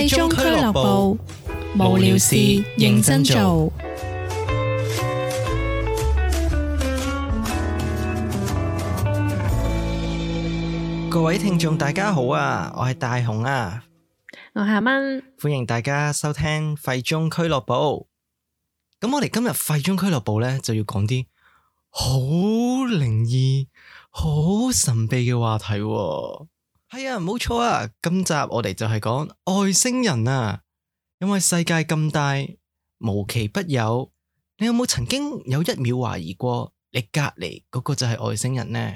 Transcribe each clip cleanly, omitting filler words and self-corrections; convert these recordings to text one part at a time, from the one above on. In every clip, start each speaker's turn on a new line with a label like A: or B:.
A: 廢中俱樂部，無聊事認真做。
B: 各位聽眾大家好啊，我係大雄啊，
A: 我係阿蚊，
B: 歡迎大家收聽廢中俱樂部。咁我哋今日廢中俱樂部咧就要講啲好靈異、好神秘嘅話題喎。係啊，冇錯啊，今集我哋就係講外星人啊。因為世界咁大，無奇不有，你有冇曾經有一秒懷疑過你隔籬嗰個就係外星人呢？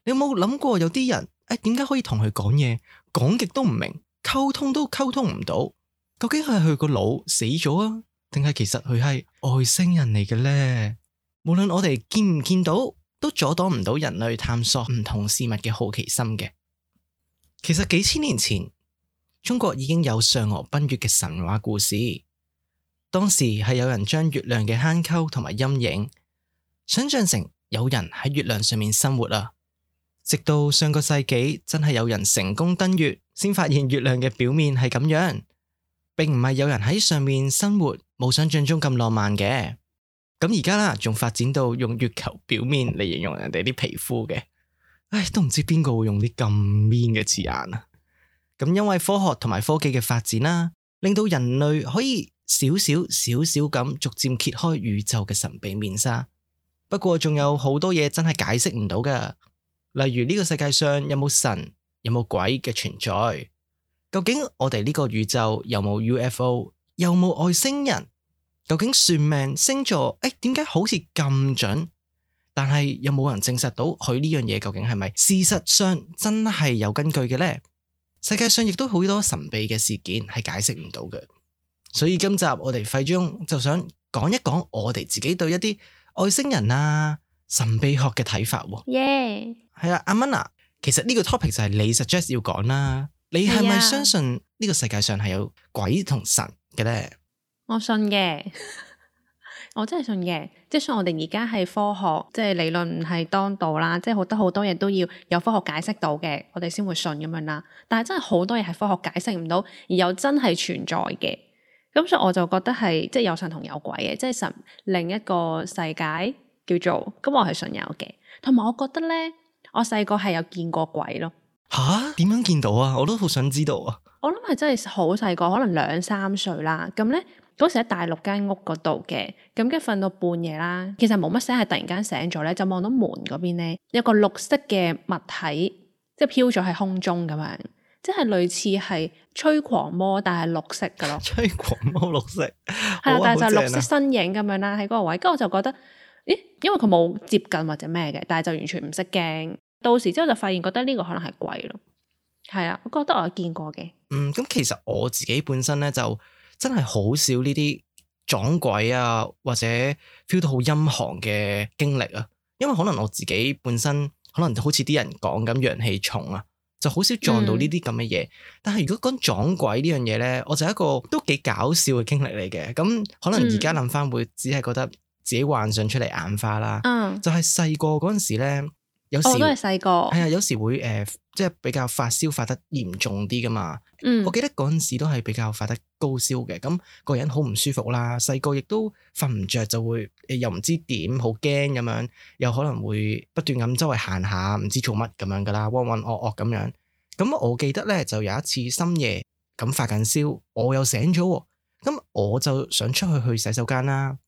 B: 你有冇諗過有啲人點解可以同佢講嘢，講極都唔明，溝通都溝通唔到？究竟係佢個腦死咗啊，定係其實佢係外星人嚟嘅呢？無論我哋見唔見到，都阻擋唔到人類探索唔同事物嘅好奇心嘅。其實幾千年前，中國已經有嫦娥奔月嘅神話故事。當時係有人將月亮嘅坑溝同埋陰影想象成有人喺月亮上面生活啊。直到上個世紀，真係有人成功登月，先發現月亮嘅表面係咁樣，並唔係有人喺上面生活，冇想象中咁浪漫嘅。咁而家啦，仲發展到用月球表面嚟形容人哋啲皮膚嘅。都唔知邊個會用啲咁 mean 嘅字眼啊！咁因為科學同埋科技嘅發展啦，令到人類可以少少咁逐漸揭開宇宙嘅神秘面紗。不過仲有好多嘢真係解釋唔到噶，例如呢個世界上有冇神，有冇鬼嘅存在？究竟我哋呢個宇宙有冇 UFO， 有冇外星人？究竟算命星座點解好似咁準？但係有冇人證實到佢呢樣嘢究竟係咪事實上真係有根據嘅呢？世界上亦都好多神秘嘅事件係解釋唔到嘅，所以今集我哋廢中就想講一講我哋自己對一啲外星人啊、神秘學嘅睇法喎。
A: 耶！
B: 係啊，阿蚊啊，其實呢個 topic 就係你 suggest 要講啦。你係咪相信呢個世界上係有鬼同神嘅呢？
A: 我信嘅。我真係信嘅，即係雖然我哋而家係科學，即係理論唔係當道啦，即係好多嘢都要有科學解釋到嘅，我哋先會信咁樣啦。但係真係好多嘢係科學解釋唔到，而又真係存在嘅。咁所以我就覺得係即係有神同有鬼嘅，即係神另一個世界叫做，咁我係信有嘅。同埋我覺得咧，我細個係有見過鬼咯。
B: 吓？點樣見到啊？我都好想知道啊！我
A: 諗係真係好細個，可能2-3歲啦。咁咧。嗰時喺大陸間屋嗰度嘅，咁跟住瞓到半夜啦，其實冇乜聲，係突然間醒咗咧，就望到門嗰邊咧有個綠色嘅物體，即係飄咗喺空中咁樣，即係類似係吹狂魔，但係綠色噶咯。吹
B: 狂魔綠色，
A: 係啦，但係就綠色身影咁樣啦，喺嗰個位，跟住我就覺得，咦，因為佢冇接近或者咩嘅，但係就完全唔識驚。到時之後就發現覺得呢個可能係鬼咯。係啊，我覺得我有見過嘅。
B: 咁其實我自己本身咧就真係好少呢啲撞鬼啊，或者 feel 到好陰寒嘅經歷啊。因為可能我自己本身可能好似啲人講咁陽氣重啊，就好少撞到呢啲咁嘅嘢。但係如果講撞鬼呢樣嘢咧，我就係一個都幾搞笑嘅經歷嚟嘅。咁可能而家諗翻會只係覺得自己幻想出嚟眼花啦。就係細個嗰陣時咧，有時
A: 都係細個，
B: 係啊，有時會即係比較發燒發得嚴重啲噶嘛。我記得嗰陣時都係比較發得高燒嘅，咁個人好唔舒服啦。細個亦都瞓唔着，就會又唔知點，好驚咁樣，又可能會不斷咁周圍行下，唔知做乜咁樣噶啦，渾渾噩噩咁樣。咁我記得咧，就有一次深夜咁發緊燒，我又醒咗，咁我就想出去洗手間啦。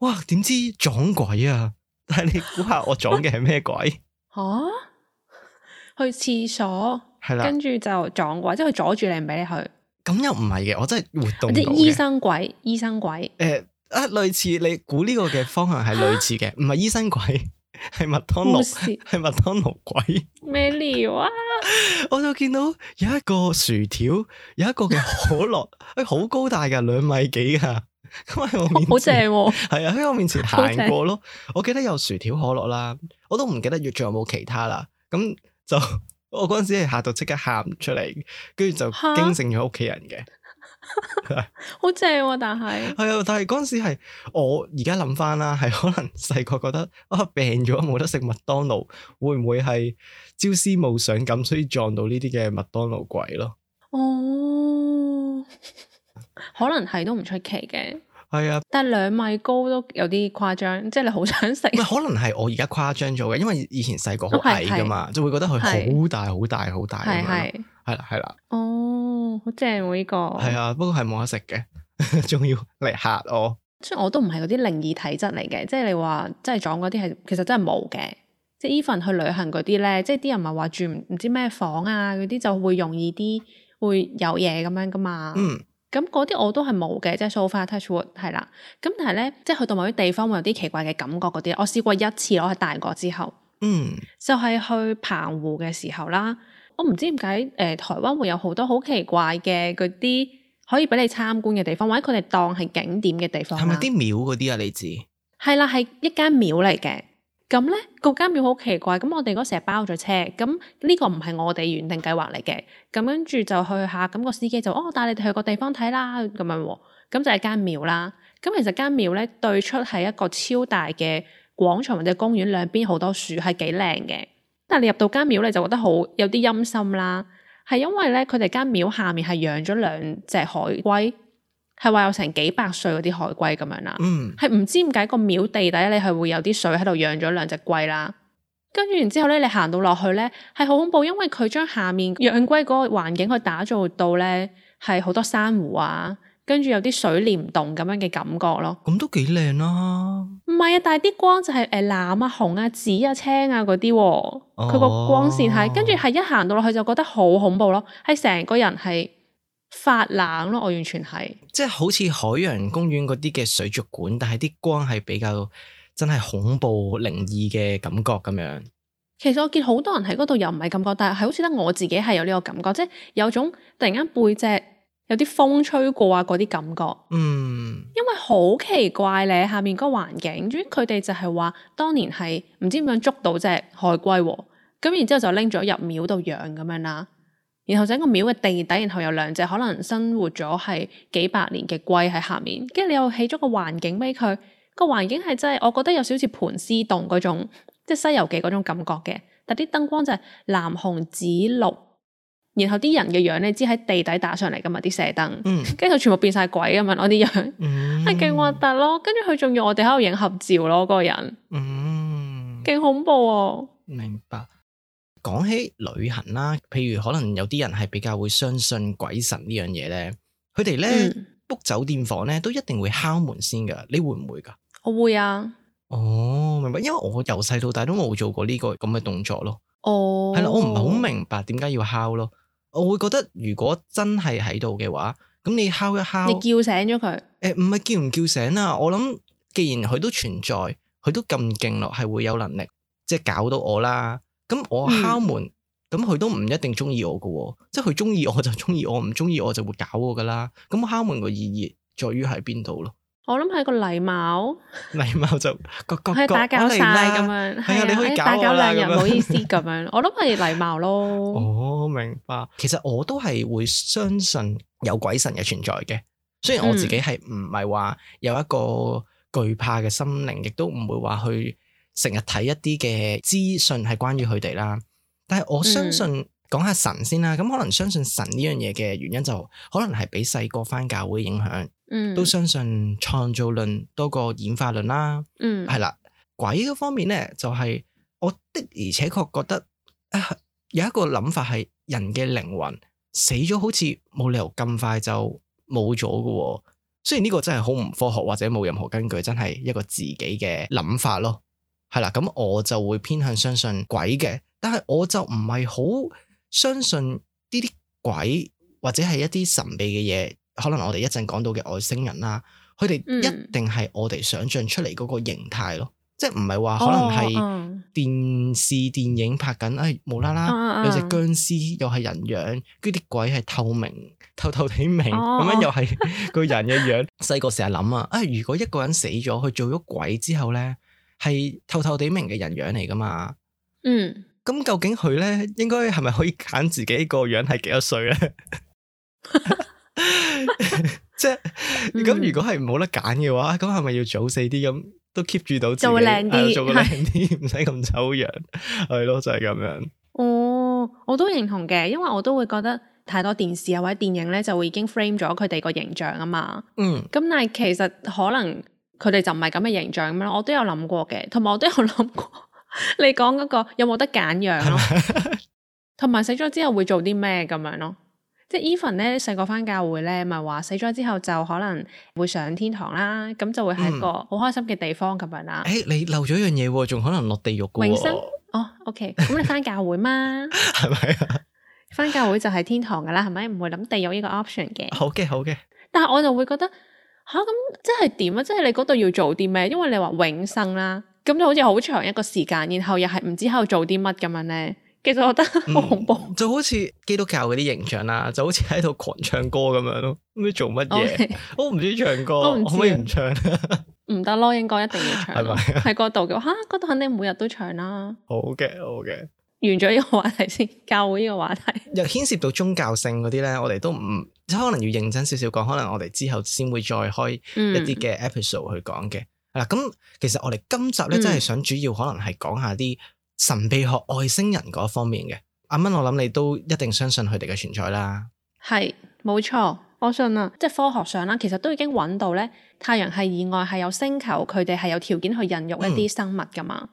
B: 哇！點知撞鬼啊！但係你估下我撞嘅係咩鬼？
A: 去廁所，係啦，跟住就撞鬼，即係佢阻住你唔俾你去。咁
B: 又唔係嘅，我真係活動到嘅。
A: 啲醫生鬼。
B: 類似你估呢個嘅方向係類似嘅，唔係醫生鬼，係麥當勞，係麥當勞鬼。咩料啊？我就見到有一個薯條，有一個嘅可樂，好高大噶，2米幾噶。咁喺我面前，好正喎。係啊，喺我面前行過咯。我記得有薯條可樂啦，我都唔記得仲有冇其他啦。咁就我嗰陣時係嚇到即刻喊出嚟，跟住就驚醒咗屋企人嘅。好正喎！但係嗰陣時係我而家諗翻啦，係可能細個覺得病咗冇得食麥當勞，會唔會係朝思暮想咁，所以撞到呢啲嘅麥當勞鬼咯？哦，
A: 可能係都唔出奇嘅。
B: 係啊，
A: 但係2米高都有啲誇張，即係你好想食。
B: 唔係可能係我而家誇張咗嘅，因為以前細個好矮噶嘛，就會覺得佢好大好大好大咁樣。係啦係啦。
A: 哦，好正喎呢個。
B: 係啊，不過係冇得食嘅，仲要嚟嚇我。
A: 雖然我都唔係嗰啲靈異體質嚟嘅，即係你話真係撞嗰啲係其實真係冇嘅。即係 even 去旅行嗰啲咧，即係啲人咪話住唔知咩房啊嗰啲就會容易啲會有嘢咁樣噶嘛。咁嗰啲我都係冇嘅，即係 so far touch wood 係啦。咁但係咧，即係去到某啲地方會有啲奇怪嘅感覺嗰啲，我試過一次咯，喺大個之後，就係去澎湖嘅時候啦。我唔知點解台灣會有好多好奇怪嘅嗰啲可以俾你參觀嘅地方，或者佢哋當係景點嘅地方。
B: 係咪啲廟嗰啲啊？你知？
A: 係啦，係一間廟嚟嘅。咁咧，嗰間廟好奇怪，咁我哋嗰時係包咗車，咁呢個唔係我哋原定計劃嚟嘅，咁跟住就去下，咁個司機就帶你哋去個地方睇啦，咁樣喎，咁就係間廟啦。咁其實間廟咧對出係一個超大嘅廣場或者公園，兩邊好多樹，係幾靚嘅。但係你入到間廟你就覺得好有啲陰森啦，係因為咧佢哋間廟下面係養咗2隻海龜。係話有成幾百歲嗰啲海龜咁樣啦，係唔知點解個廟地底你係會有啲水喺度養咗2隻龜啦，跟住然之後咧你行到落去咧係好恐怖，因為佢將下面養龜嗰個環境去打造到咧係好多珊瑚啊，跟住有啲水簾洞咁樣嘅感覺咯。
B: 咁都幾靚啦。
A: 唔係啊，但係啲光就係藍啊、紅啊、紫啊、青啊嗰啲，佢個光線係跟住係一行到落去就覺得好恐怖咯，係成個人係發冷咯，我完全係
B: 即係好似海洋公園嗰啲嘅水族館，但係啲光係比較真係恐怖靈異嘅感覺咁樣。
A: 其實我見好多人喺嗰度又唔係咁覺，但係好似得我自己係有呢個感覺，即係有種突然間背脊有啲風吹過啊嗰啲感覺。因為好奇怪咧，下面嗰個環境，總之佢哋就係話當年係唔知點樣捉到隻海龜喎，咁然之後就拎咗入廟度養咁樣啦。然後整個廟嘅地底，然後有2隻可能生活咗係幾百年嘅龜喺下面，跟住你又起咗個環境俾佢，個環境係真係我覺得有少少似盤絲洞嗰種，即係《西遊記》嗰種感覺嘅，但啲燈光就係藍紅紫綠，然後啲人嘅樣你知喺地底打上嚟噶嘛啲射燈，跟住全部變晒鬼咁樣，我啲樣係勁核突咯，跟住佢仲要我哋喺度影合照咯，嗰個人，勁恐怖啊！
B: 明白。講起旅行啦，譬如可能有啲人係比較會相信鬼神呢樣嘢咧，佢哋咧 book 酒店房咧都一定會敲門先噶，你會唔會噶？
A: 我會啊。
B: 哦，明白，因為我由細到大都冇做過呢個咁嘅動作咯。
A: 哦，
B: 係啦，我唔係好明白點解要敲咯。我會覺得如果真係喺度嘅話，咁你敲一敲，
A: 你叫醒咗佢？
B: 唔係叫唔叫醒啊？我諗既然佢都存在，佢都咁勁咯，係會有能力即係搞到我啦。咁我敲門，咁佢都唔一定中意我噶，即係佢中意我就中意我，唔中意我就會搞我噶啦。咁我敲門個意義在於喺邊度咯？
A: 我諗係個禮貌，
B: 禮貌就各
A: 係打攪晒咁樣，
B: 係啊，你可以
A: 打攪2日，唔好意思咁樣。我諗係禮貌咯。
B: 哦，明白。其實我都係會相信有鬼神嘅存在嘅，雖然我自己係唔係話有一個懼怕嘅心靈，亦都唔會話去成日睇一啲嘅資訊係關於佢哋啦。但係我相信講下神先啦。咁可能相信神呢樣嘢嘅原因就可能係俾細個返教會影響。都相信創造論多過演化論啦。係啦，鬼嗰方面咧，就係我的而且確覺得有一個諗法係人嘅靈魂死咗，好似冇理由咁快就冇咗㗎。雖然呢個真係好唔科學或者冇任何根據，真係一個自己嘅諗法咯。係啦，咁我就會偏向相信鬼嘅，但係我就唔係好相信呢啲鬼或者係一啲神秘嘅嘢。可能我哋一陣講到嘅外星人啦，佢哋一定係我哋想象出嚟嗰個形態咯，即係唔係話可能係電視電影拍緊，無啦啦有隻僵屍又係人樣，跟住啲鬼係透明透透地明，咁樣又係個人嘅樣。細個成日諗啊，如果一個人死咗，佢做咗鬼之後咧，係透透地明嘅人樣嚟噶嘛？咁究竟佢咧應該係咪可以揀自己個樣係幾多歲咧？即係咁，如果係冇得揀嘅話，咁係咪要早死啲咁都 keep 住到自己，
A: 做靚啲，
B: 做個靚啲，唔使咁醜樣，係咯，就係咁樣。
A: 哦，我都認同嘅，因為我都會覺得太多電視啊或者電影咧就會已經 frame 咗佢哋個形象啊嘛。
B: 嗯，
A: 咁但係其實可能佢哋就唔係咁嘅形象咁樣，我都有諗過嘅，同埋我都有諗過你講嗰個有冇得揀樣咯，同埋死咗之後會做啲咩咁樣咯。即係 even 咧細個返教會咧，咪話死咗之後就可能會上天堂啦，咁就會係一個好開心嘅地方咁樣啦。
B: 你漏咗一樣嘢喎，仲可能落地獄嘅喎。
A: 永生OK，咁你返教會嘛？
B: 係咪啊？
A: 返教會就係天堂噶啦，係咪？唔會諗地獄呢個 option 嘅。
B: 好嘅，好嘅。
A: 但係我就會覺得吓，咁即係點啊？即係你嗰度要做啲咩？因為你話永生啦，咁就好似好長一個時間，然後又係唔知喺度做啲乜咁樣咧。其實我覺得好恐怖，
B: 就好似基督教嗰啲形象啦，就好似喺度狂唱歌咁樣咯，唔知做乜嘢。我唔知唱歌，可唔可以唔唱？
A: 唔得咯，應該一定要唱。
B: 係咪？
A: 喺嗰度嘅話，嗰度肯定每日都唱啦。
B: 好嘅，好嘅。
A: 完咗呢個話題先，教會呢個話題
B: 又牽涉到宗教性嗰啲咧，我哋都唔可能要認真少少講，可能我哋之後先會再開一啲嘅 episode 去講嘅。嗱，咁其實我哋今集咧真係想主要可能係講下啲神秘學外星人嗰方面嘅。阿蚊，我諗你都一定相信佢哋嘅存在啦。
A: 係，冇錯，我信啊。即係科學上啦，其實都已經揾到咧，太陽系以外係有星球，佢哋係有條件去孕育一啲生物噶嘛。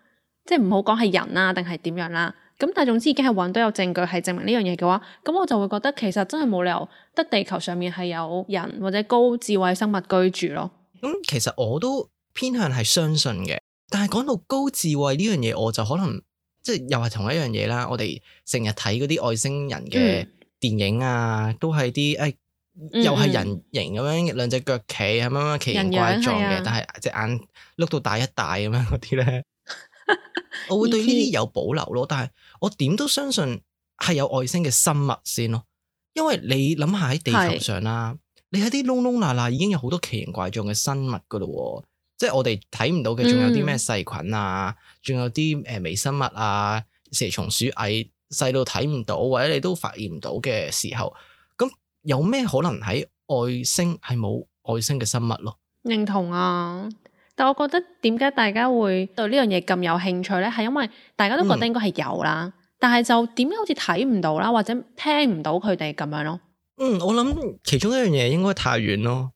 A: 即係唔好講係人啊，定係點樣啦。咁但係總之已經係揾到有證據係證明呢樣嘢嘅話，咁我就會覺得其實真係冇理由得地球上面係有人或者高智慧生物居住咯。
B: 咁其實我都偏向係相信嘅，但係講到高智慧呢樣嘢，我就可能即係又係同一樣嘢啦。我哋成日睇嗰啲外星人嘅電影啊，都係啲又係人形咁樣，兩隻腳企咁樣奇形怪狀嘅，但係隻眼碌到大一大咁樣嗰啲咧，我會對呢啲有保留咯。但係我點都相信係有外星嘅生物先咯，因為你諗下喺地球上啦，你喺啲窿窿罅罅已經有好多奇形怪狀嘅生物噶咯，即係我哋睇唔到嘅，仲有啲咩細菌啊，仲有啲微生物啊，蛇蟲鼠蟻細到睇唔到，或者你都發現唔到嘅時候，咁有咩可能喺外星係冇外星嘅生物咯？認
A: 同啊！但我覺得點解大家會對呢樣嘢咁有興趣咧？係因為大家都覺得應該係有啦，但係就點解好似睇唔到啦，或者聽唔到佢哋咁樣咯？
B: 我諗其中一樣嘢應該太遠咯。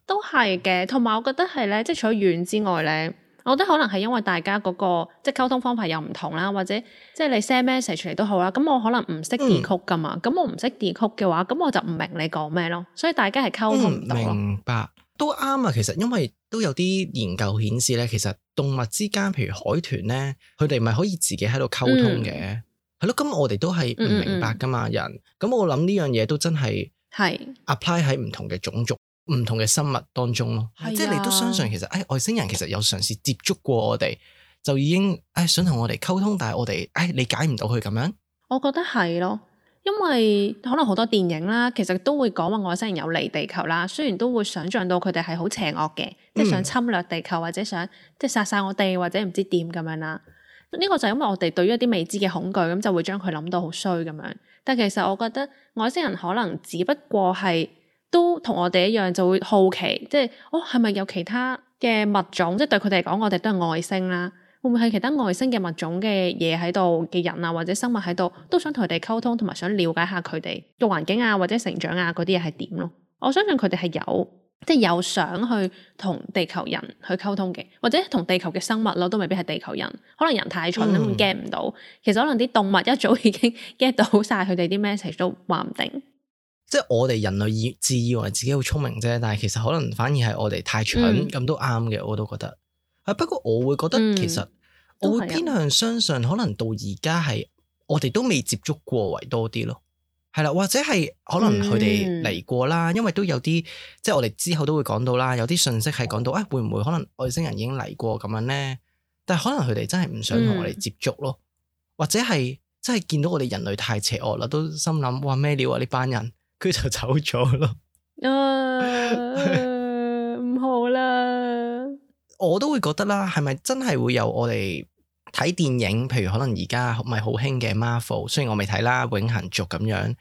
A: 都係嘅，同埋我覺得係咧，即係除咗遠之外咧，我覺得可能係因為大家嗰個即係溝通方法又唔同啦，或者即係你 send message 嚟都好啦，咁我可能唔識 decode 噶嘛，咁我唔識 decode嘅話，咁我就唔明你講咩咯，所以大家係溝通唔到咯。
B: 明白，都啱啊。其實因為都有啲研究顯示咧，其實動物之間，譬如海豚咧，佢哋咪可以自己喺度溝通嘅，係咯。咁我哋都係唔明白噶嘛，人。咁我諗呢樣嘢都真係 apply 喺唔同嘅種族。唔同嘅生物當中咯，即係你都相信其實外星人其實有嘗試接觸過我哋，就已經想同我哋溝通，但係我哋理解唔到佢咁樣。
A: 我覺得係咯，因為可能好多電影啦，其實都會講話外星人有嚟地球啦，雖然都會想像到佢哋係好邪惡嘅，即係想侵略地球或者想即係殺晒我哋或者唔知點咁樣啦。呢個就係因為我哋對於一啲未知嘅恐懼，咁就會將佢諗到好衰咁樣。但其實我覺得外星人可能只不過係都同我哋一樣，就會好奇，即係係咪有其他嘅物種？即係對佢哋嚟講，我哋都係外星啦。會唔會係其他外星嘅物種嘅嘢喺度嘅人啊，或者生物喺度，都想同佢哋溝通，同埋想了解下佢哋嘅環境啊，或者成長啊嗰啲嘢係點咯？我相信佢哋係有，即係有想去同地球人去溝通嘅，或者同地球嘅生物咯，都未必係地球人。可能人太蠢咁 get 唔到，其實可能啲動物一早已經 get 到晒佢哋啲 message 都話唔定。
B: 即係我哋人類自以為自己好聰明啫，但係其實可能反而係我哋太蠢，咁都啱嘅，我都覺得。不過我會覺得其實我會偏向相信，可能到而家係我哋都未接觸過為多啲咯。係啦，或者係可能佢哋嚟過啦，因為都有啲即係我哋之後都會講到啦，有啲信息係講到會唔會可能外星人已經嚟過咁樣咧？但係可能佢哋真係唔想同我哋接觸咯，或者係真係見到我哋人類太邪惡啦，都心諗哇咩料啊呢班人。佢就走咗咯，
A: 唔好啦。
B: 我都會覺得啦，係咪真係會有我哋睇電影？譬如可能而家咪好興嘅 Marvel，雖然我未睇啦，永恆族咁樣，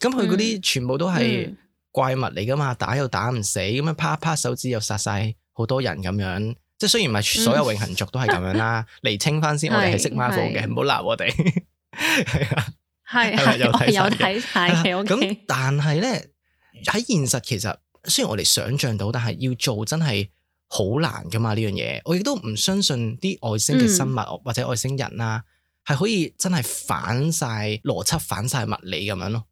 B: 咁佢嗰啲全部都係怪物嚟噶嘛，打又打唔死，咁樣啪啪手指又殺晒好多人咁樣。即係雖然唔係所有永恆族都係咁樣啦，釐清翻先，我哋係識 Marvel 嘅，唔好鬧我哋。係啊。
A: 係
B: 係咪有睇晒嘅
A: 有睇晒嘅。O
B: 咁
A: K，
B: 但係咧喺現實其實雖然我哋想象到，但係要做真係好難噶嘛呢樣嘢。我亦都唔相信啲外星嘅生物或者外星人啦，係可以真係反晒邏輯、反晒物理咁樣咯。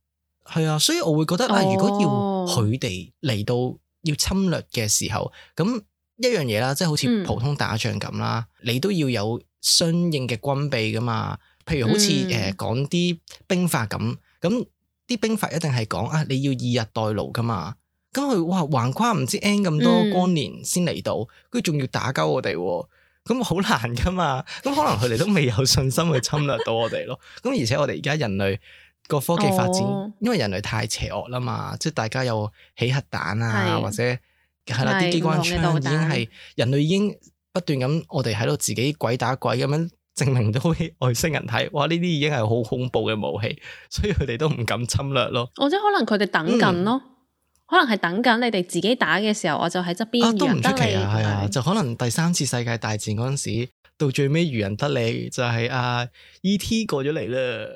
B: 係啊，所以我會覺得如果要佢哋嚟到要侵略嘅時候，咁一樣嘢啦，即係好似普通打仗咁啦，你都要有相應嘅軍備噶嘛。譬如好似講啲兵法咁，咁啲兵法一定係講你要以逸待勞噶嘛。咁佢橫跨唔知 N 咁多光年先嚟到，跟住仲要打交我哋，咁好難噶嘛。咁可能佢哋都未有信心去侵略到我哋咯。咁而且我哋而家人類個科技發展，因為人類太邪惡啦嘛，即係大家有起核彈啊，或者係啦啲機關槍已經係人類已經不斷咁，我哋喺度自己鬼打鬼咁樣證明到外星人睇，哇！呢啲已經係好恐怖嘅武器，所以佢哋都唔敢侵略咯。
A: 或者可能佢哋等緊咯。可能係等緊你哋自己打嘅時候，我就喺側邊
B: 都唔出奇
A: 啊，
B: 係啊，就可能第三次世界大戰嗰陣時，到最尾漁人得利，就係E.T. 過咗嚟啦。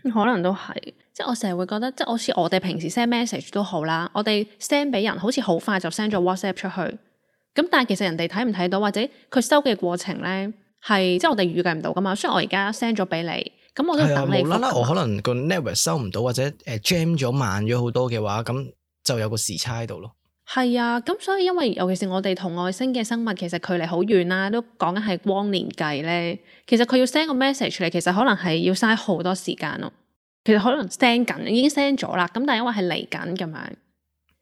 A: 可能都係，即係我成日會覺得，即係好似我哋平時 send message 都好啦，我哋 send 俾人好似好快就 send 咗 WhatsApp 出去，咁但係其實人哋睇唔睇到，或者佢收嘅過程咧，係即係我哋預計唔到噶嘛。雖然我而家 send 咗俾你，咁我都等你覆。無啦啦，
B: 我可能個 network 收唔到，或者jam 咗慢咗好多嘅話，咁就有個時差喺度咯。
A: 係啊，咁所以因為尤其是我哋同外星嘅生物其實距離好遠啦，都講緊係光年計咧。其實佢要 send 個 message 嚟，其實可能係要嘥好多時間咯。其實可能 send 緊，已經 send 咗啦。咁但係因為係嚟緊咁樣，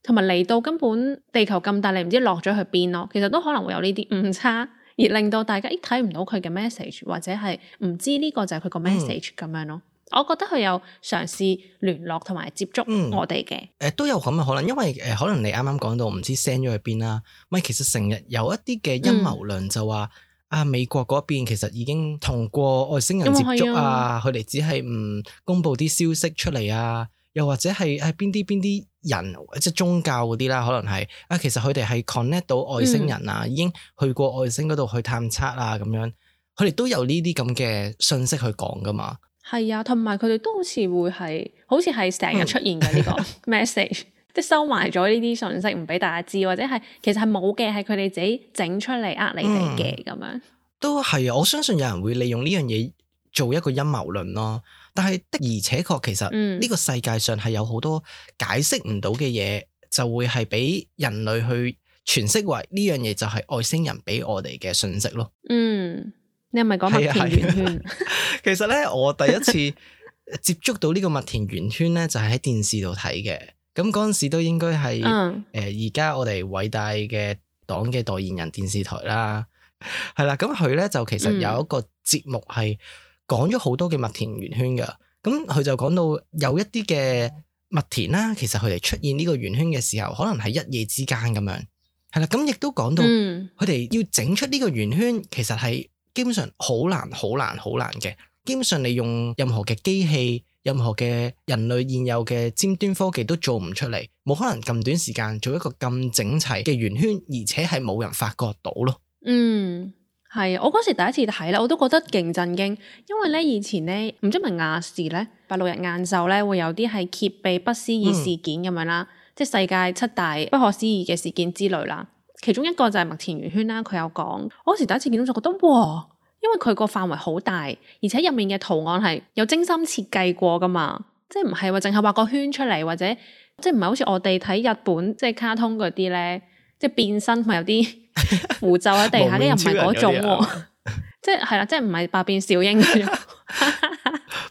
A: 同埋嚟到根本地球咁大，你唔知落咗去邊咯。其實都可能會有呢啲誤差，而令到大家睇唔到佢嘅 message， 或者係唔知呢個就係佢個 message 咁樣咯。我覺得佢有嘗試聯絡同埋接觸我哋嘅，
B: 都有咁嘅可能，因為可能你啱啱講到唔知 send 咗去邊啦，咪其實成日有一啲嘅陰謀論就話美國嗰邊其實已經同過外星人接觸啊，佢哋只係唔公布啲消息出嚟啊，又或者係邊啲人即係宗教嗰啲啦，可能係其實佢哋係 connect 到外星人啊，已經去過外星嗰度去探測啊咁樣，佢哋都有呢啲咁嘅信息去講噶嘛。
A: 係啊，同埋佢哋都好似會係，好似係成日出現嘅呢個 message，即係收埋咗呢啲信息唔俾大家知，或者係其實係冇嘅，係佢哋自己整出嚟呃你哋嘅咁樣。都
B: 係啊，我相信有人會利用呢樣嘢做一個陰謀論咯。但係的而且確，其實呢個世界上係有好多解釋唔到嘅嘢，就會係俾人類去詮釋為呢樣嘢就係外星人俾我哋嘅信息咯。
A: 你係咪講麥田圓圈？
B: 其實咧，我第一次接觸到呢個麥田圓圈咧，就係喺電視度睇嘅。咁嗰陣時都應該係而家我哋偉大嘅黨嘅代言人電視台啦，係啦。咁佢咧就其實有一個節目係講咗好多嘅麥田圓圈噶。咁佢就講到有一啲嘅麥田啦，其實佢哋出現呢個圓圈嘅時候，可能係一夜之間咁樣。係啦，咁亦都講到佢哋要整出呢個圓圈，其實係基本上好難嘅。基本上你用任何嘅機器、任何嘅人類現有嘅尖端科技都做唔出嚟，冇可能咁短時間做一個咁整齊嘅圓圈，而且係冇人發覺到咯。
A: 係，我嗰時第一次睇咧，我都覺得勁震驚，因為咧以前咧唔知係咪亞視咧8、6日晏晝咧會有啲係揭秘不思議事件咁樣啦，即係世界7大不可思議嘅事件之類啦。其中一個就係麥田圓圈啦，佢有講，我嗰時第一次見到就覺得哇，因為佢個範圍好大，而且入面嘅圖案係有精心設計過噶嘛，即係唔係話淨係畫個圈出嚟，或者即係唔係好似我哋睇日本即係卡通嗰啲咧，即係變身同埋有啲符咒喺地下，跟住又唔係嗰種喎，即係啦，即係唔係百變小櫻嗰種。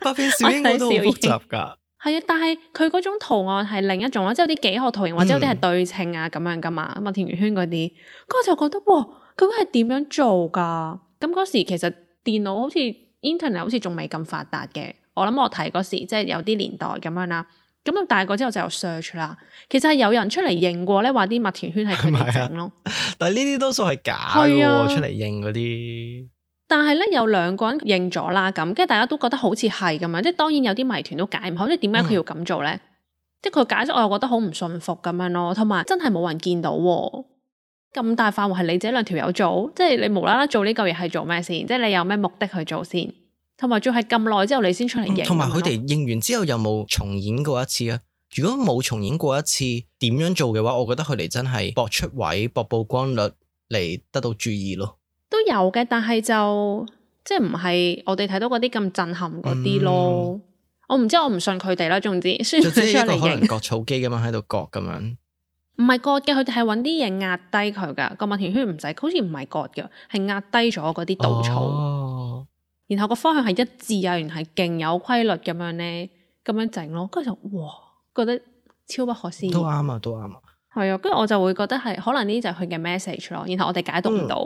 B: 百變小櫻嗰都好複雜噶。
A: 係啊，但係佢嗰種圖案係另一種啦，即係有啲幾何圖形或者有啲係對稱啊咁樣噶嘛，麥田圓圈嗰啲，我就覺得哇，究竟係點樣做噶？咁嗰時其實電腦好似 internet 好似仲未咁發達嘅，我諗我睇嗰時即係有啲年代咁樣啦。咁大個之後就有 search 啦，其實係有人出嚟認過咧，話啲麥田圈係佢哋整咯。
B: 但係呢啲多數係假嘅，出嚟認嗰啲。但
A: 係咧有2個人認咗啦，咁跟住大家都覺得好似係咁樣，即係當然有啲謎團都解唔好，即係點解佢要咁做咧？即係佢解釋我又覺得好唔信服咁樣咯，同埋真係冇人見到喎。咁大範圍係你自己2條友做，即係你無啦啦做呢嚿嘢係做咩先？即係你有咩目的去做先？同埋仲係咁耐之後你先出嚟認。
B: 同埋佢哋認完之後有冇重演過一次啊？如果冇重演過一次，點樣做嘅話，我覺得佢哋真係搏出位、搏曝光率嚟得到注意咯。
A: 都有嘅，但係就即係唔係我哋睇到嗰啲咁震撼嗰啲咯。我唔知，我唔信佢哋啦。總之，宣傳出嚟
B: 認，可能割草機咁樣喺度割咁樣。
A: 唔係割嘅，佢哋係揾啲嘢壓低佢噶。個麥田圈唔使，好似唔係割嘅，係壓低咗嗰啲稻草。哦。然後個方向係一致啊，原來係勁有規律咁樣咧，咁樣整咯。跟住就哇，覺得超不可思議。都啱啊，都啱啊。係啊，跟住我就會覺得係可能呢啲就係佢嘅 message 咯。然後我哋解讀唔到。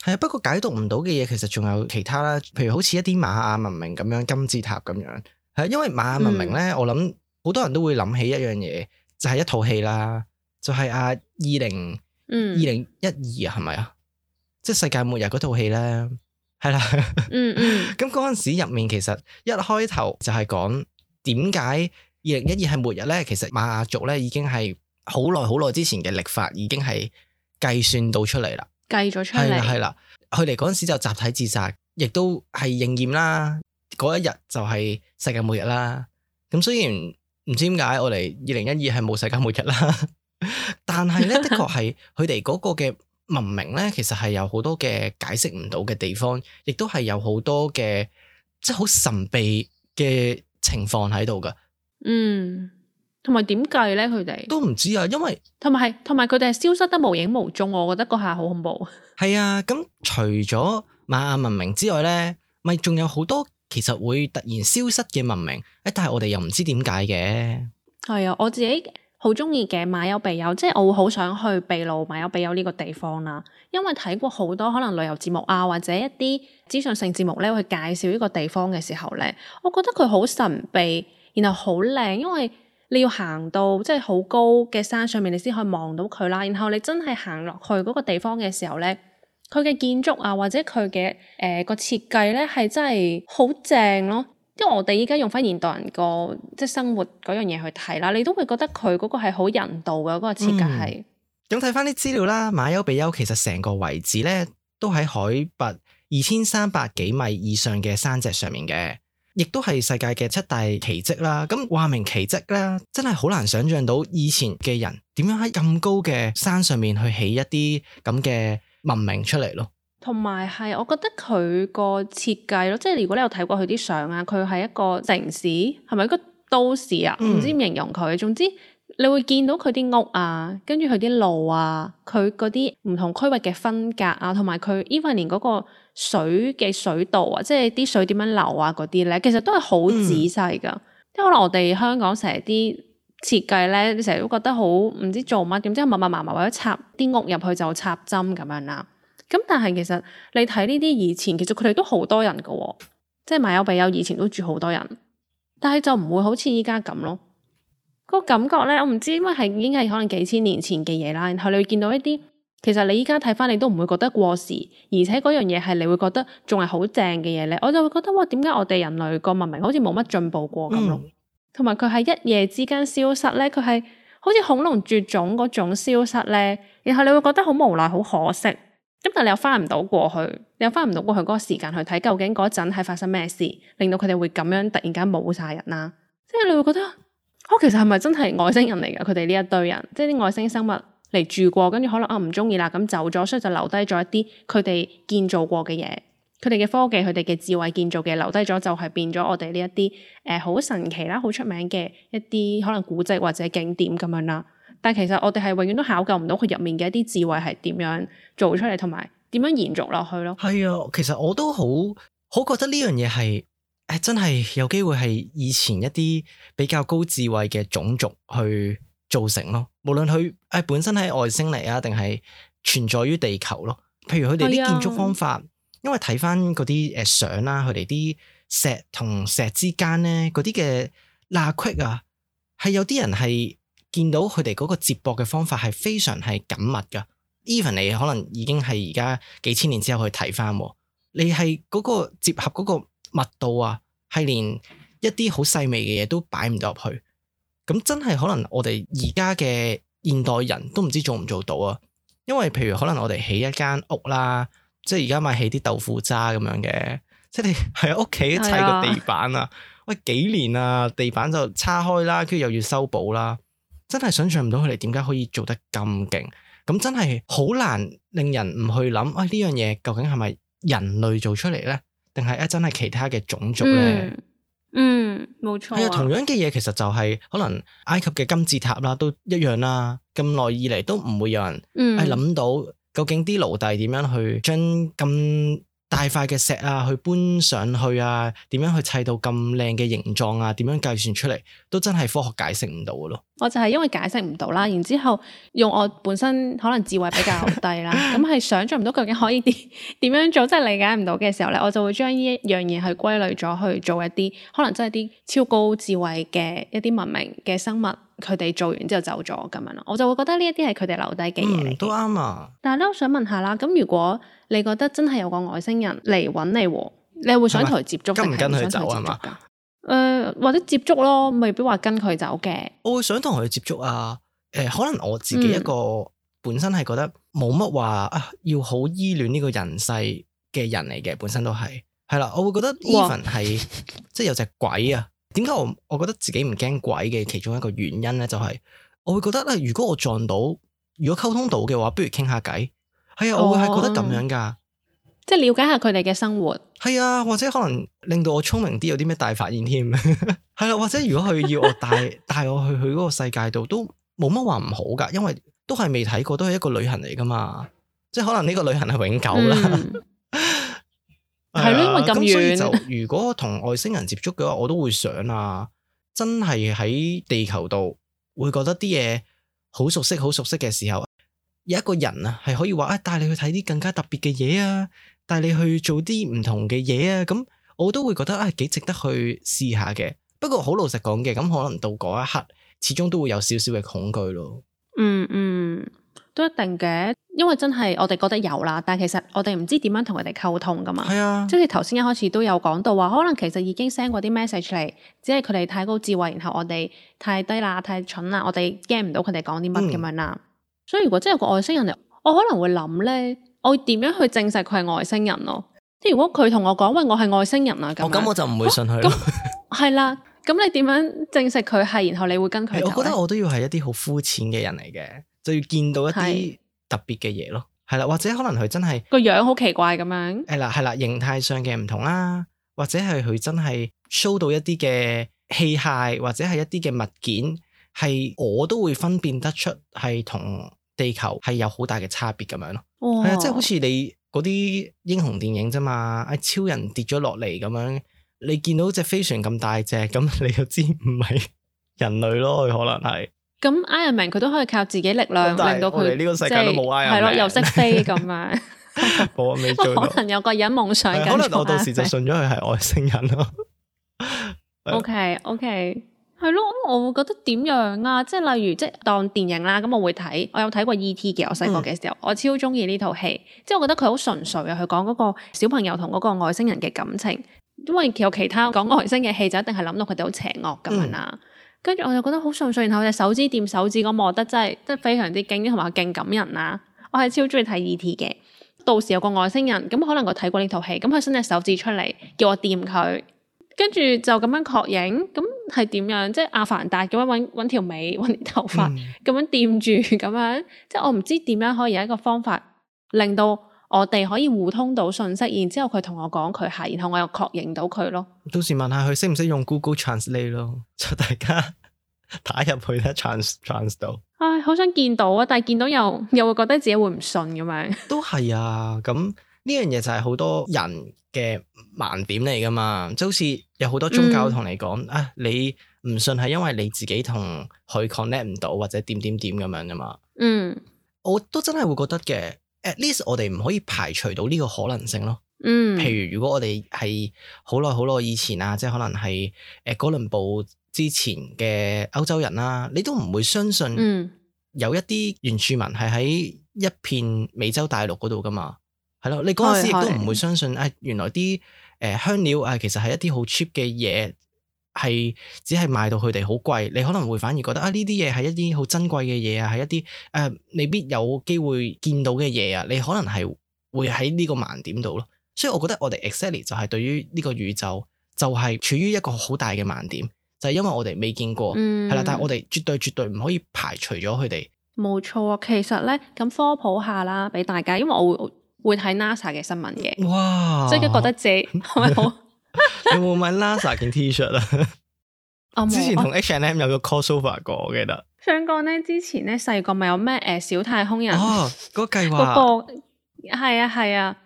A: 係
B: 啊，不過解讀唔到嘅嘢其實仲有其他啦，譬如好似一啲瑪雅文明咁樣金字塔咁樣。係，因為瑪雅文明咧，我諗好多人都會諗起一樣嘢，就係一套戲啦，就係2012係咪啊？即係世界末日嗰套戲咧，係啦。咁嗰陣時入面其實一開頭就係講點解2012係末日咧？其實瑪雅族咧已經係好耐之前嘅曆法已經係計算到出嚟啦，計咗出嚟係啦。佢哋嗰陣時就集體自殺，亦都係應驗啦。嗰一日就係世界末日啦。咁雖然唔知點解我哋2012係冇世界末日啦，但係咧的確係佢哋嗰個嘅文明咧，其實係有好多嘅解釋唔到嘅地方，亦都係有好多嘅即係好神秘嘅情況喺度噶。同埋點計咧？佢哋都唔知啊，因為同埋佢哋係消失得無影無蹤，我覺得嗰下好恐怖。係啊，咁除咗瑪雅文明之外咧，咪仲有好多其實會突然消失嘅文明，但係我哋又唔知點解嘅。係啊，我自己好中意嘅馬丘比丘，即係我會好想去秘魯馬丘比丘呢個地方啦，因為睇過好多可能旅遊節目啊，或者一啲資訊性節目咧，去介紹呢個地方嘅時候咧，我覺得佢好神秘，然後好靚，因為你要行到即係好高嘅山上面，你先可以望到佢啦。然後你真係行落去嗰個地方嘅時候咧，佢嘅建築啊，或者佢嘅個設計咧，係真係好正咯。因為我哋依家用翻現代人個即係生活嗰樣嘢去睇啦，你都會覺得佢嗰個係好人道嘅嗰個設計係。咁睇翻啲資料啦，馬丘比丘其實成個遺址咧都喺海拔2300幾米以上嘅山脊上面嘅。亦都係世界嘅7大奇蹟啦，咁話明奇蹟啦，真係好難想象到以前嘅人點樣喺咁高嘅山上面去起一啲咁嘅文明出嚟咯。同埋係，我覺得佢個設計咯，即係如果你有睇過佢啲相啊，佢係一個城市，係咪一個都市啊？唔知點形容佢，總之你會見到佢啲屋啊，跟住佢啲路啊，佢嗰啲唔同區域嘅分隔啊，同埋佢 even 連嗰個水嘅水道啊，即係啲水點樣流啊嗰啲咧，其實都係好仔細噶。即係可能我哋香港成日啲設計咧，你成日都覺得好唔知做乜，點知密密麻麻為咗插啲屋入去就插針咁樣啦。咁但係其實你睇呢啲以前，其實佢哋都好多人噶，即係馬丘比丘以前都住好多人，但係就唔會好似依家咁咯。個感覺咧，我唔知，因為係已經係可能幾千年前嘅嘢啦。然後你會見到一啲，其實你依家睇翻你都唔會覺得過時，而且嗰樣嘢係你會覺得仲係好正嘅嘢咧。我就會覺得哇，點解我哋人類個文明好似冇乜進步過咁咯？同埋佢係一夜之間消失咧，佢係好似恐龍絕種嗰種消失咧。然後你會覺得好無奈、好可惜。咁但係你又翻唔到過去，你又翻唔到過去嗰個時間去睇究竟嗰陣係發生咩事，令到佢哋會咁樣突然間冇晒人啦。即係你會覺得。其實係咪真係外星人嚟㗎？佢哋呢一堆人，即係啲外星生物嚟住過，跟住可能唔中意啦，咁走咗，所以就留低咗一啲佢哋建造過嘅嘢，佢哋嘅科技，佢哋嘅智慧建造嘅留低咗，就係變咗我哋呢一啲好神奇啦、好出名嘅一啲可能古蹟或者景點咁樣啦。但係其實我哋係永遠都考究唔到佢入面嘅一啲智慧係點樣做出嚟，同埋點樣延續落去咯。係啊，其實我都好覺得呢樣嘢係。真係有機會係以前一啲比較高智慧嘅種族去造成咯，無論佢本身係外星嚟啊，定係存在於地球咯。譬如佢哋啲建築方法，因為睇翻嗰啲相啦，佢哋啲石同石之間咧，嗰啲嘅罅隙啊，係有啲人係見到佢哋嗰個接駁嘅方法係非常係緊密噶。even 你可能已經係而家幾千年之後去睇翻，你係嗰個接合嗰個密度啊，係連一啲好細微嘅嘢都擺唔到入去，咁真係可能我哋而家嘅現代人都唔知做唔做到啊。因為譬如可能我哋起一間屋啦，即係而家咪起啲豆腐渣咁樣嘅，即係你係屋企砌個地板啊，喂幾年啊，地板就叉開啦，跟住又要修補啦，真係想象唔到佢哋點解可以做得咁勁，咁真係好難令人唔去諗，呢樣嘢究竟係咪人類做出嚟咧，定係真係其他嘅種族咧？
A: 冇錯。
B: 係啊，同樣嘅嘢其實就係可能埃及嘅金字塔啦，都一樣啦。咁耐以嚟都唔會有人諗到究竟啲奴隸點樣去將咁大塊嘅石啊去搬上去啊，點樣去砌到咁靚嘅形狀啊，點樣計算出嚟，都真係科學解釋唔到嘅咯。
A: 我就係因為解釋唔到啦，然之後用我本身可能智慧比較低啦，咁係想象唔到究竟可以點樣做，即係理解唔到嘅時候咧，我就會將呢一樣嘢去歸類咗去做一啲可能真係啲超高智慧嘅一啲文明嘅生物，佢哋做完之後走咗咁樣咯，我就會覺得呢一啲係佢哋留低嘅嘢嚟。
B: 都啱啊！
A: 但係咧，我想問下啦，咁如果你覺得真係有個外星人嚟揾你喎，你會想同佢接觸，
B: 跟唔跟佢走啊嘛？
A: 或者接觸咯，未必話跟佢走嘅。
B: 我會想同佢接觸啊。可能我自己一個本身係覺得冇乜話要好依戀呢個人世嘅人嚟嘅，本身都係啦。我會覺得 even 係即係有隻鬼啊。點解我覺得自己唔驚鬼嘅其中一個原因咧，就係我會覺得如果我撞到，如果溝通到嘅話，不如傾下偈。係啊，我會係覺得咁樣噶。
A: 即係了解下佢哋嘅生活，
B: 係啊，或者可能令到我聰明啲，有啲咩大發現添，係啦，或者如果佢要我帶我去嗰個世界度，都冇乜話唔好噶，因為都係未睇過，都係一個旅行嚟噶嘛，即係可能呢個旅行係永久啦，
A: 係咯，因為咁遠，
B: 所以就如果同外星人接觸嘅話，我都會想啊，真係喺地球度會覺得啲嘢好熟悉嘅時候，有一個人啊係可以話帶你去睇啲更加特別嘅嘢啊。帶你去做啲唔同嘅嘢啊，咁我都會覺得幾值得去試下嘅。不過好老實講嘅，咁可能到嗰一刻，始終都會有少少嘅恐懼咯。
A: 都一定嘅，因為真係我哋覺得有啦，但係其實我哋唔知點樣同佢哋溝通噶嘛。係啊，即係頭先一開始都有講到話，可能其實已經 send 過啲 message 嚟，只係佢哋太高智慧，然後我哋太低啦、太蠢啦，我哋驚唔到佢哋講啲乜咁樣啦。所以如果真係有個外星人嚟，我可能會諗咧。我會點樣去證實佢係外星人咯？即係如果佢同我講，喂，我係外星人啊，咁
B: 我就唔會信佢咯。
A: 係啦，咁你點樣證實佢係？然後你會跟佢走？
B: 我覺得我都要係一啲好膚淺嘅人嚟嘅，就要見到一啲特別嘅嘢咯。係啦，或者可能佢真係
A: 個樣好奇怪咁樣。
B: 係啦，形態上嘅唔同啦，或者係佢真係 show 到一啲嘅器械，或者係一啲嘅物件，係我都會分辨得出係同地球係有好大嘅差別咁樣咯。係啊，即係好似你嗰啲英雄電影啫嘛，超人跌咗落嚟咁樣，你見到隻飛船咁大隻，咁你就知唔係人類咯，佢可能係。咁
A: Iron Man 佢都可以靠自己力量令到佢，
B: 呢個世界都冇 Iron Man， 係咯，
A: 又識飛咁樣。
B: 我未做到。
A: 可能有個人夢想緊，
B: 可能我到時就信咗佢係外星人咯。
A: OK。係咯，我會覺得點樣啊？即係例如，即係當電影啦，咁我會睇。我有睇過 E.T. 嘅，我細個嘅時候，我超中意呢套戲。即係我覺得佢好純粹啊，佢講嗰個小朋友同嗰個外星人嘅感情。因為有其他講外星嘅戲，就一定係諗到佢哋好邪惡咁樣啦。跟住我就覺得好純粹，然後隻手指掂手指嗰幕，我覺得真係非常之驚啲，同埋勁感人啦。我係超中意睇 E.T. 嘅。到時有個外星人，咁可能我睇過呢套戲，咁佢伸隻手指出嚟，叫我掂佢。跟住就咁樣確認，咁係點樣？即係阿凡達咁樣揾條尾、揾啲頭髮咁樣掂住咁樣，即係我唔知點樣可以有一個方法令到我哋可以互通到信息，然之後佢同我講佢係，然後我又確認到佢咯。到時問下佢識唔識用 Google Translate 咯，就大家打入去咧 trans 到。唉，好想見到啊！但係見到又會覺得自己會唔信咁樣。都係啊，咁呢樣嘢就係好多人嘅盲點嚟噶嘛，即係好似有好多宗教同你講你唔信係因為你自己同佢 connect 唔到或者點咁樣噶嘛。我都真係會覺得嘅 ，at least 我哋唔可以排除到呢個可能性咯。譬如如果我哋係好耐以前啊，即係可能係哥倫布之前嘅歐洲人啦，你都唔會相信有一啲原住民係喺一片美洲大陸嗰度噶嘛。係咯，你嗰陣時亦都唔會相信原來啲香料其實係一啲好 cheap 嘅嘢，係只係賣到佢哋好貴。你可能會反而覺得呢啲嘢係一啲好珍貴嘅嘢啊，係一啲未必有機會見到嘅嘢啊。你可能係會喺呢個盲點度咯。
B: 所以我覺得我哋 exactly 就係對於呢個宇宙就係處於一個好大嘅盲點，就係因為我哋未見過，係啦，但係我哋絕對唔可以排除咗佢哋。
A: 冇錯啊，其實咧咁科普下啦，俾大家，因為我會睇 NASA 嘅新聞嘅，
B: 哇！
A: 即係覺得自己係咪好？
B: 你有冇買 NASA 件 T-shirt 啊？之前同 H&M 有個 crossover 過，我記得。
A: 想講咧，之前咧細個咪有咩小太空人
B: 嗰個計劃
A: 嗰個係啊，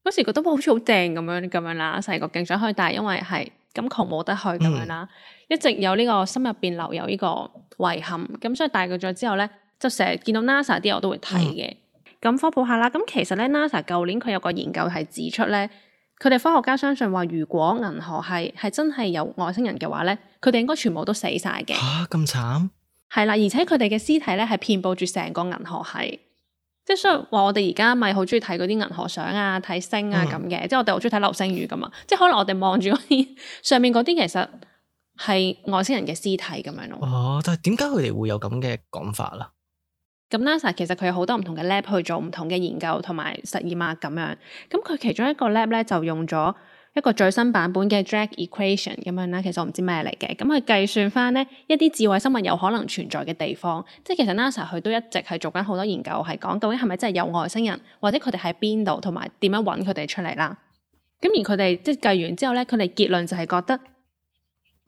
A: 嗰時覺得好似好正咁樣啦，細個勁想去，但係因為係咁窮冇得去咁樣啦，一直有呢個心入邊留有呢個遺憾，咁所以大個咗之後咧，就成日見到 NASA 啲我都會睇嘅。咁科普下啦，咁其實咧 NASA 舊年佢有個研究係指出咧，佢哋科學家相信話，如果銀河系係真係有外星人嘅話咧，佢哋應該全部都死晒嘅。
B: 嚇咁慘？
A: 係啦，而且佢哋嘅屍體咧係遍佈住成個銀河系，即係所以話我哋而家咪好中意睇嗰啲銀河相啊、睇星啊咁嘅，即係我哋好中意睇流星雨噶嘛，即係可能我哋望住嗰啲上面嗰啲其實係外星人嘅屍體咁樣咯。
B: 但係點解佢哋會有咁嘅講法啦？
A: 咁 NASA 其實佢有好多唔同嘅 lab 去做唔同嘅研究同埋實驗啊咁樣，咁佢其中一個 lab 咧就用咗一個最新版本嘅 Drake Equation 咁樣啦，其實我唔知咩嚟嘅，咁佢計算翻呢一啲智慧生物有可能存在嘅地方，即係其實 NASA 佢都一直係做緊好多研究，係講究竟係咪真係有外星人，或者佢哋喺邊度，同埋點樣揾佢哋出嚟啦。咁而佢哋即係計完之後咧，佢哋結論就係覺得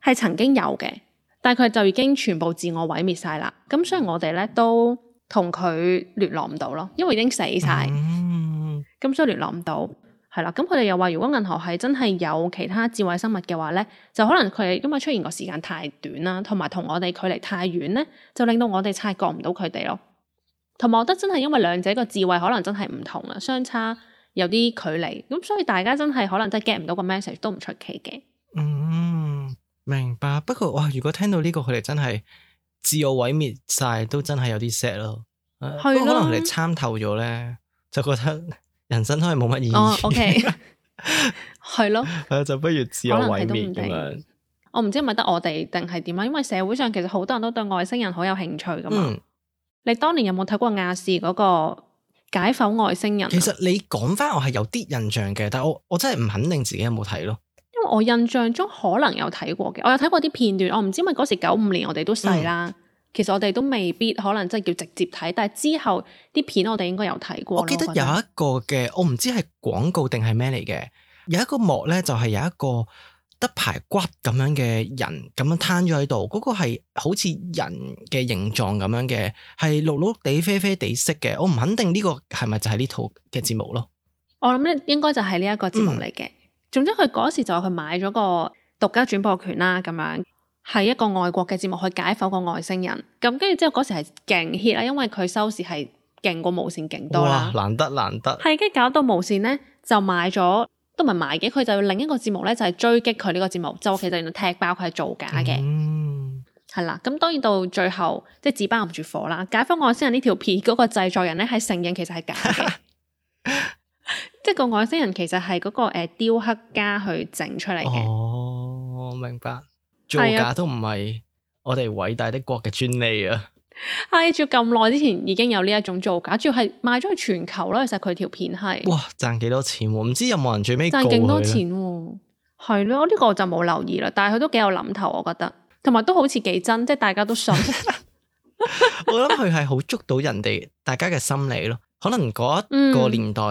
A: 係曾經有嘅，但係佢就已經全部自我毀滅晒啦。咁所以我哋咧都同佢聯絡唔到咯，因為已經死晒，咁所以聯絡唔到。係啦，咁佢哋又話，如果銀河系真係有其他智慧生物嘅話咧，就可能佢哋因為出現個時間太短啦，同埋同我哋距離太遠咧，就令到我哋察覺唔到佢哋咯。同埋我覺得真係因為兩者個智慧可能真係唔同啦，相差有啲距離，咁所以大家真係可能真係 get 唔到個 message 都唔出奇嘅。
B: 明白。不過哇，如果聽到呢個佢哋真係自我毀滅晒，都真係有啲 sad 咯。不過可能佢哋參透咗咧，就覺得人生都係冇乜意義。
A: OK， 係咯，
B: 就不如自我毀滅咁樣。
A: 我唔知係咪得我哋定係點啊？因為社會上其實好多人都對外星人好有興趣噶嘛。你當年有冇睇過亞視嗰個解剖外星人？
B: 其實你講翻我係有啲印象嘅，但係我真係唔肯定自己有冇睇咯。
A: 因為我印象中可能有睇過嘅，我有睇過啲片段。我唔知因為嗰時95年我哋都細啦。其實我哋都未必可能真係叫直接睇，但係之後啲片我哋應該有睇過。
B: 我記得有一個嘅，我唔知係廣告定係咩嚟嘅，有一個幕咧就係有一個得排骨咁樣嘅人咁樣攤咗喺度，嗰個係好似人嘅形狀咁樣嘅，係綠綠地啡啡地色嘅。我唔肯定呢個係咪就係呢套嘅節目咯。我
A: 諗咧應該就係呢一個節目嚟嘅。總之佢嗰時就佢買咗個獨家轉播權啦，咁樣。係一個外國嘅節目去解剖個外星人，咁跟住之後嗰時係勁 hit 啦，因為佢收視係勁過無線勁多啦。
B: 哇，難得，
A: 係跟住搞到無線咧就買咗，都唔係買嘅，佢就另一個節目咧就係追擊佢呢個節目，就其實原來踢爆佢係造假嘅。係啦，咁當然到最後即係紙包唔住火啦。解剖外星人呢條片嗰個製作人咧係承認其實係假嘅，即係個外星人其實係嗰個雕刻家去整出嚟嘅。
B: 我明白。造假都唔係我哋偉大的國嘅專利啊！
A: 係，仲要咁耐之前已經有呢一種造假，主要係賣咗去全球咯。其實佢條片係
B: 哇賺幾多錢喎？唔知有冇人最尾
A: 賺勁多錢喎？係咯，呢個我就冇留意啦。但係佢都幾有諗頭，我覺得，同埋都好似幾真，即係大家都信。
B: 我諗佢係好捉到人哋大家嘅心理咯。可能嗰一個年代，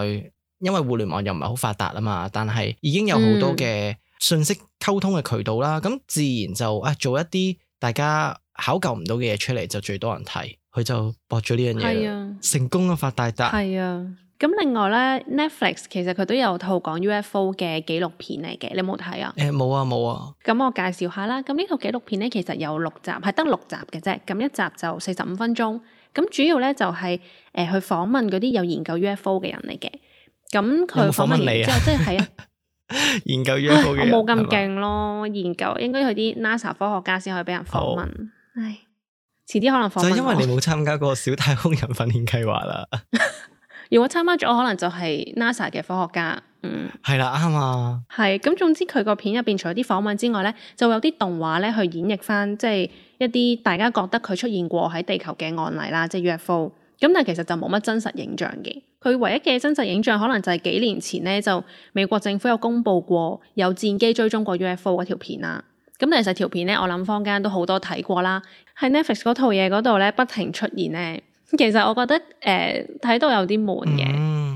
B: 因為互聯網又唔係好發達啊嘛，但係已經有好多嘅信息溝通嘅渠道啦，咁自然就做一啲大家考究唔到嘅嘢出嚟，就最多人睇，佢就博咗呢樣嘢，成功啊，發大達。
A: 係啊，咁另外咧 Netflix 其實佢都有套講 UFO 嘅紀錄片嚟嘅，你有冇睇啊？
B: 冇啊。咁
A: 我介紹下啦，咁呢套紀錄片咧其實有6集，係得6集嘅啫，咁一集就45分鐘，咁主要咧就係去訪問嗰啲有研究 UFO 嘅人嚟嘅，咁佢訪問完之後即係啊。
B: 研究 UFO 嘅人，
A: 我冇咁勁咯。研究應該去啲 NASA 科學家先可以俾人訪問。唉，遲啲可能訪問我。
B: 就因為你冇參加過小太空人訓練計劃啦。
A: 如果參加咗，可能就係 NASA 嘅科學家。
B: 係啦，啱啊。係
A: 咁，總之佢個片入邊除咗啲訪問之外咧，就會有啲動畫咧去演繹翻，即係一啲大家覺得佢出現過喺地球嘅案例啦，即係 UFO。咁但係其實就冇乜真實影像嘅，佢唯一嘅真實影像可能就係幾年前咧，就美國政府有公布過有戰機追蹤過 UFO 嗰條片啦。咁其實條片咧，我諗坊間都好多睇過啦。喺 Netflix 嗰套嘢嗰度咧，不停出現咧，其實我覺得睇到有啲悶嘅。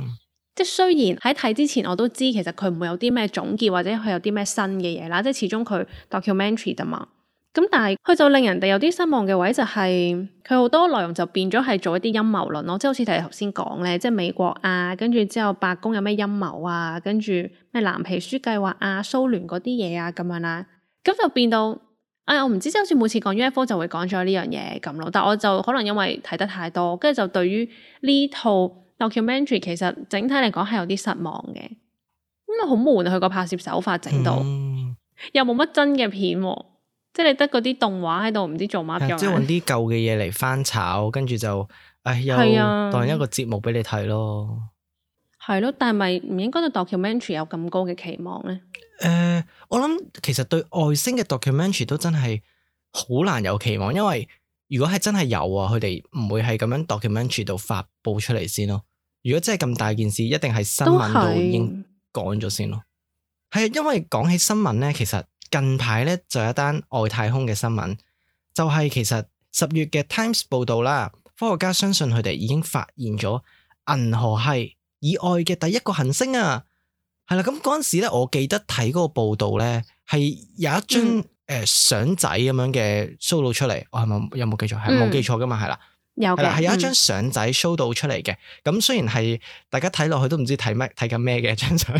A: 即係雖然喺睇之前我都知其實佢唔會有啲咩總結或者佢有啲咩新嘅嘢啦，即係始終佢 documentary 㗎嘛。咁但係佢就令人哋有啲失望嘅位就係佢好多內容就變咗係做一啲陰謀論咯，即係好似你頭先講咧，即係美國啊，跟住之後白宮有咩陰謀啊，跟住咩藍皮書計劃啊、蘇聯嗰啲嘢啊咁樣啦，咁就變到我唔知，即係好似每次講 UFO 就會講咗呢樣嘢咁咯。但我就可能因為睇得太多，跟住就對於呢套 documentary 其實整體嚟講係有啲失望嘅，因為好悶啊，佢個拍攝手法整到，又冇乜真嘅片喎。即係你得嗰啲動畫喺度唔知做乜嘅，
B: 即係揾啲舊嘅嘢嚟翻炒，跟住就又當一個節目俾你睇咯。
A: 係咯，但係咪唔應該對 documentary 有咁高嘅期望咧？
B: 我諗其實對外星嘅 documentary 都真係好難有期望，因為如果係真係有啊，佢哋唔會係咁樣 documentary 度發佈出嚟先咯。如果真係咁大件事，一定係新聞度已經講咗先咯。係啊，因為講起新聞咧，其實近排咧就有一單外太空嘅新聞，就係其實10月嘅 Times 報道啦，科學家相信佢哋已經發現咗銀河系以外嘅第一個行星啊。係啦，咁嗰陣時咧，我記得睇嗰個報道咧，係有一張相仔咁樣嘅 show 到出嚟，我係咪有冇記錯？係冇記錯噶嘛，係啦，
A: 有嘅，
B: 係有一張相仔 show 到出嚟嘅。咁雖然係大家睇落去都唔知睇緊咩嘅張相，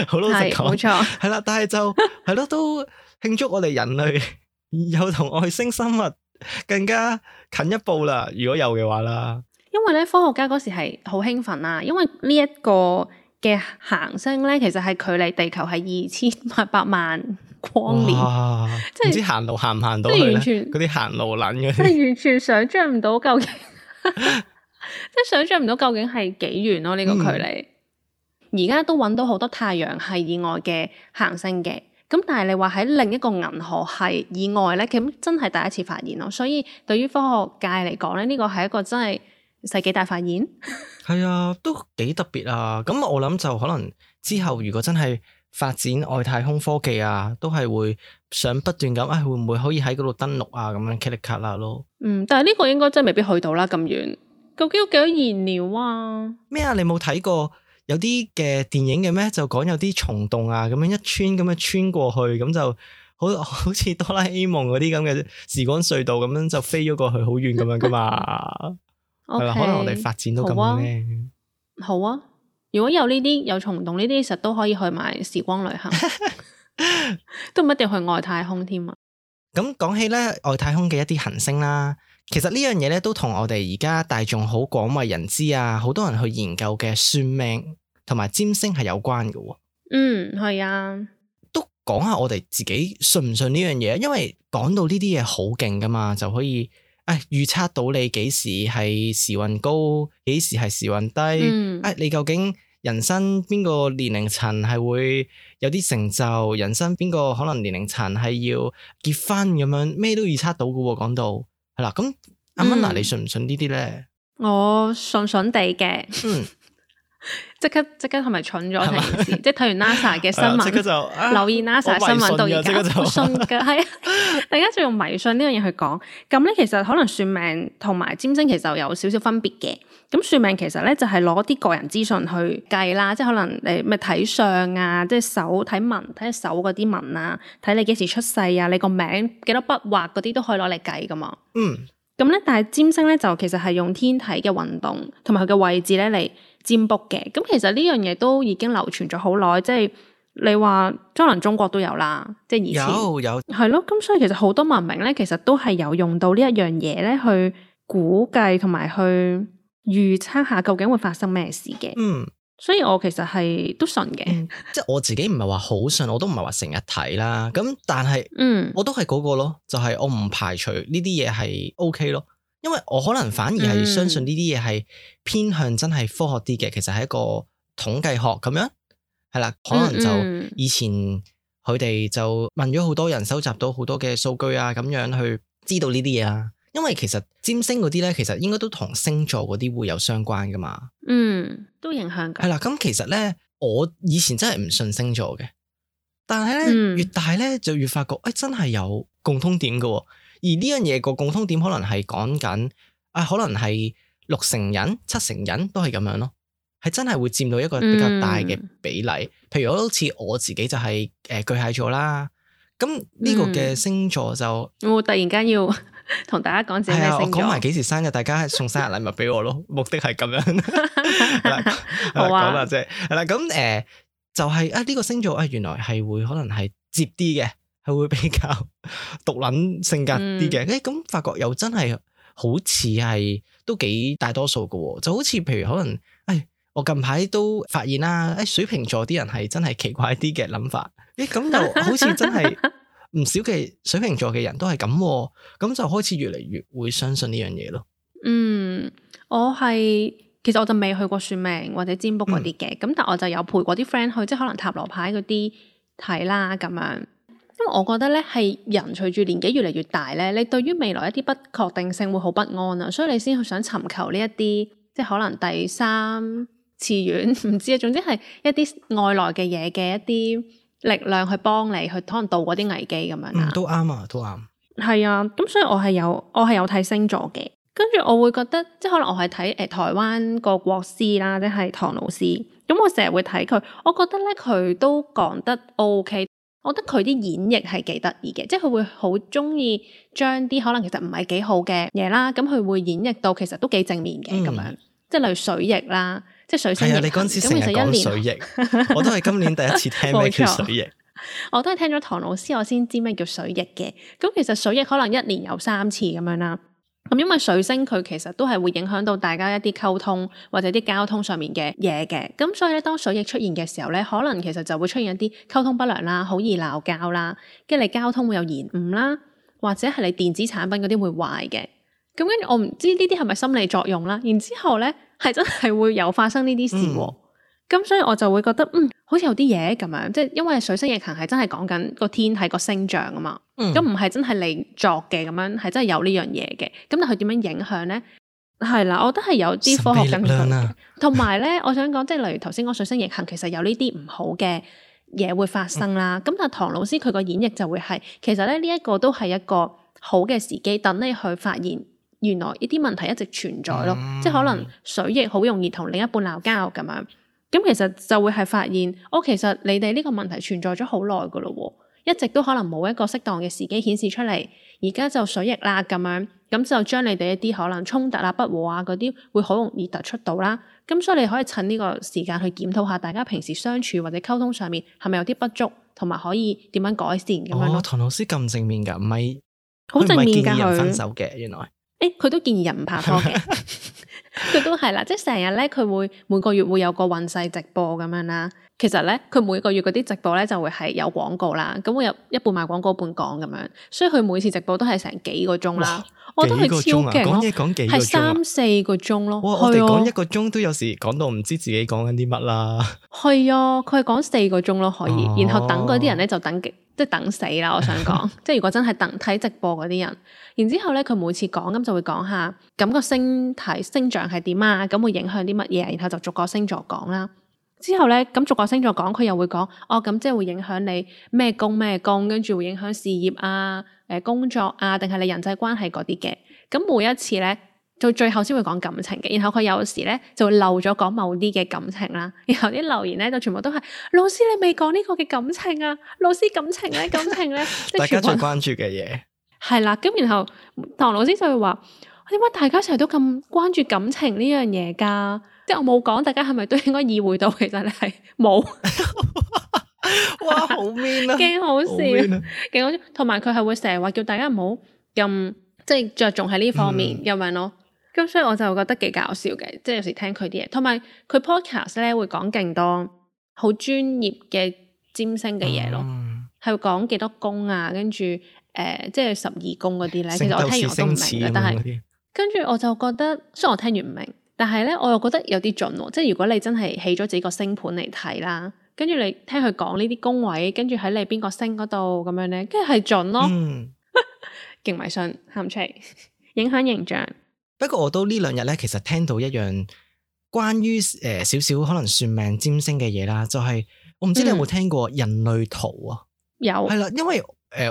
B: 好老實講，
A: 冇錯，
B: 係啦，但係就係咯，都慶祝我哋人類有同外星生物更加近一步啦。如果有嘅話啦，
A: 因為咧科學家嗰時係好興奮啦，因為呢一個嘅行星咧，其實係距離地球係2800萬光年，
B: 即係唔知行路行唔行到去咧？嗰啲行路撚嗰啲，
A: 即係完全想像唔到究竟，即係想像唔到究竟係幾遠咯呢個距離。而家都揾到好多太陽系以外嘅行星嘅，咁但係你話喺另一個銀河系以外咧，咁真係第一次發現咯。所以對於科學界嚟講咧，呢個係一個真係世紀大發現。
B: 係啊，都幾特別啊！咁我諗就可能之後如果真係發展外太空科技啊，都係會想不斷咁，會唔會可以喺嗰度登陸啊？咁樣 click 卡啦咯。
A: 但係呢個應該真係未必去到啦咁遠。究竟要幾多燃料啊？
B: 咩啊？你冇睇過有啲嘅電影嘅咩？就講有啲蟲洞啊，咁樣一穿咁樣穿過去，咁就好似哆啦 A 夢嗰啲咁嘅時光隧道咁樣就飛咗過去好遠咁樣噶嘛。係啦，可能我哋發展到咁咧。
A: 好啊，如果有呢啲有蟲洞呢啲，其實都可以去埋時光旅行，都唔一定去外太空添啊。
B: 咁講起咧外太空嘅一啲行星啦，其實呢樣嘢咧都同我哋而家大眾好廣為人知啊，好多人去研究嘅算命同埋占星係有關嘅。
A: 係啊，
B: 都講下我哋自己信唔信呢樣嘢，因為講到呢啲嘢好勁噶嘛，就可以預測到你幾時係時運高，幾時係時運低。你究竟人生邊個年齡層係會有啲成就，人生邊個可能年齡層係要結婚咁樣，咩都預測到噶喎。講到係啦，咁阿蚊娜你信唔信呢啲咧？
A: 我信地嘅。即刻係咪蠢咗成件事？即係睇完 NASA 嘅新聞，留意 NASA 新聞到而家，我信㗎，係啊！大家就用迷信呢樣嘢去講。咁咧，其實可能算命同埋占星其實有少少分別嘅。咁算命其實咧就係攞啲個人資訊去計啦，即係可能你咪睇相啊，即係手睇紋，睇手嗰啲紋啊，睇你幾時出世啊，你個名幾多筆畫嗰啲都可以攞嚟計噶嘛。咁咧，但係占星咧就其實係用天體嘅運動同埋佢嘅位置咧嚟占卜嘅。咁其實呢樣嘢都已經流傳咗好耐，即係你話可能中國都有啦，即係以前有係咯。咁所以其實好多文明咧，其實都係有用到呢一樣嘢咧去估計同埋去預測下究竟會發生咩事嘅。所以我其實係都信嘅，
B: 即係我自己唔係話好信，我都唔係話成日睇啦。咁但係，我都係嗰個咯，就係我唔排除呢啲嘢係 OK 咯，因為我可能反而係相信呢啲嘢係偏向真係科學啲嘅，其實係一個統計學咁樣，係啦，可能就以前佢哋就問咗好多人，收集到好多嘅數據啊，咁樣去知道呢啲嘢啊。因為其實占星嗰啲咧，其實應該都同星座嗰啲會有相關噶嘛。
A: 都影響㗎。
B: 係啦，咁其實咧，我以前真係唔信星座嘅，但係咧越大咧就越發覺，真係有共通點嘅。而呢樣嘢個共通點可能係講緊，可能係6成人、7成人都係咁樣咯，係真係會佔到一個比較大嘅比例。譬如好似我自己就係巨蟹座啦，咁呢個嘅星座就
A: 我突然間要同大家講自己咩星座。
B: 我講埋幾時生日，大家送生日禮物俾我咯，目的係咁樣。好啊，講啦啫，係啦，咁就係呢個星座原來係會可能係接啲嘅。係會比較獨撚性格啲嘅，咁發覺又真係好似係都幾大多數嘅，就好似譬如可能，我近排都發現啦，水瓶座啲人係真係奇怪啲嘅諗法，咁就好似真係唔少嘅水瓶座嘅人都係咁，咁就開始越嚟越會相信呢樣嘢咯。
A: 其實我就未去過算命或者占卜嗰啲嘅，咁但我就有陪過啲 friend 去，即係可能塔羅牌嗰啲睇啦咁樣。因為我覺得咧，係人隨住年紀越嚟越大咧，你對於未來一啲不確定性會好不安啊，所以你先去想尋求呢一啲，即係可能第三次元，唔知啊，總之係一啲外來嘅嘢嘅一啲力量去幫你去可能渡過啲危機咁樣啦。
B: 都啱啊，都啱。
A: 係啊，咁所以我係有睇星座嘅，跟住我會覺得，即係可能我係睇台灣個國師啦，即係唐老師，咁我成日會睇佢，我覺得咧佢都講得 OK。我覺得佢啲演繹係幾得意嘅，即係佢會好中意將啲可能其實唔係幾好嘅嘢啦，咁佢會演繹到其實都幾正面嘅咁樣，即係例如水逆啦，即係水星逆行。
B: 你嗰陣時成日講水逆，我都係今年第一次聽咩叫水逆。
A: 我都係聽咗唐老師我先知咩叫水逆嘅。咁其實水逆可能1年有3次咁樣啦。咁因為水星佢其實都係會影響到大家一啲溝通或者啲交通上面嘅嘢嘅，咁所以咧當水逆出現嘅時候咧，可能其實就會出現一啲溝通不良啦，好易鬧交啦，跟住你交通會有延誤啦，或者係你電子產品嗰啲會壞嘅。咁跟住我唔知呢啲係咪心理作用啦，然之後咧係真係會有發生呢啲事喎。咁所以我就會覺得好似有啲嘢咁樣，即係因為水星逆行係真係講緊個天係個星象啊嘛，咁唔係真係你作嘅咁樣，係真係有呢樣嘢嘅。咁但係佢點樣影響咧？係啦，我覺得係有啲科學根據嘅。同埋咧，我想講即係例如頭先講水星逆行，其實有呢啲唔好嘅嘢會發生啦。咁但係唐老師佢個演繹就會係，其實咧呢一個都係一個好嘅時機，等你去發現原來呢啲問題一直存在咯。即係可能水逆好容易同另一半鬧交咁樣。咁其實就會係發現，其實你哋呢個問題存在咗好耐噶咯，一直都可能冇一個適當嘅時機顯示出嚟，而家就水逆啦咁樣，咁就將你哋一啲可能衝突啊、不和啊嗰啲會好容易突出到啦。咁所以你可以趁呢個時間去檢討下大家平時相處或者溝通上面係咪有啲不足，同埋可以點樣改善咁樣咯。
B: 唐老師咁正面噶，唔係
A: 好正面噶，
B: 佢唔係建議人分手嘅，原來。
A: 佢都建議人唔拍拖嘅，佢都係啦，即係成日咧，佢會每個月會有個運勢直播咁樣啦。其實咧，佢每個月嗰啲直播咧就會係有廣告啦，咁會有一半賣廣告，一半講咁樣，所以佢每次直播都係成幾個鐘啦。我覺得佢超勁咯，
B: 講嘢講幾個鐘，
A: 係3-4個鐘咯。
B: 哇！我哋講1個鐘都有時講到唔知自己講緊啲乜啦。
A: 係啊，佢係講4個鐘咯，可以，然後等嗰啲人咧就等即係等死啦！我想講，即係如果真係睇直播嗰啲人，然之後咧佢每次講咁就會講下咁個星象係點啊，咁會影響啲乜嘢，然後就逐個星座講啦。之後咧咁逐個星座講，佢又會講咁即係會影響你咩宮，跟住會影響事業啊、工作啊，定係你人際關係嗰啲嘅。咁每一次咧到最後先會講感情嘅，然後佢有時咧就會漏咗講某啲嘅感情啦，然後啲留言咧就全部都係老師你未講呢個嘅感情啊，老師感情咧
B: 大家最關注嘅嘢
A: 係啦。咁然後唐老師就會話點解大家成日都咁關注感情呢樣嘢噶？即係我冇講，大家係咪都應該意會到其實你係冇？
B: 哇，好 mean 啊，
A: 勁好笑，勁好笑。同埋佢係會成日話叫大家唔好咁即係着重喺呢方面咁樣咯。咁所以我就覺得幾搞笑嘅，即係有時聽佢啲嘢，同埋佢 podcast 咧會講勁多好專業嘅占星嘅嘢咯，係會講幾多宮啊，跟住即係12宮嗰啲咧。其實我聽完我都唔明嘅，但係跟住我就覺得，雖然我聽完唔明，但係咧我又覺得有啲準喎。即係如果你真係起咗自己個星盤嚟睇啦，跟住你聽佢講呢啲宮位，跟住喺你邊個星嗰度咁樣咧，跟住係準咯。勁迷信，喊出嚟。影響形象。
B: 不過我都呢兩日咧，其實聽到一樣關於少少可能算命占星嘅嘢啦，就係、我唔知你有冇聽過人類圖啊？
A: 有
B: 係啦，因為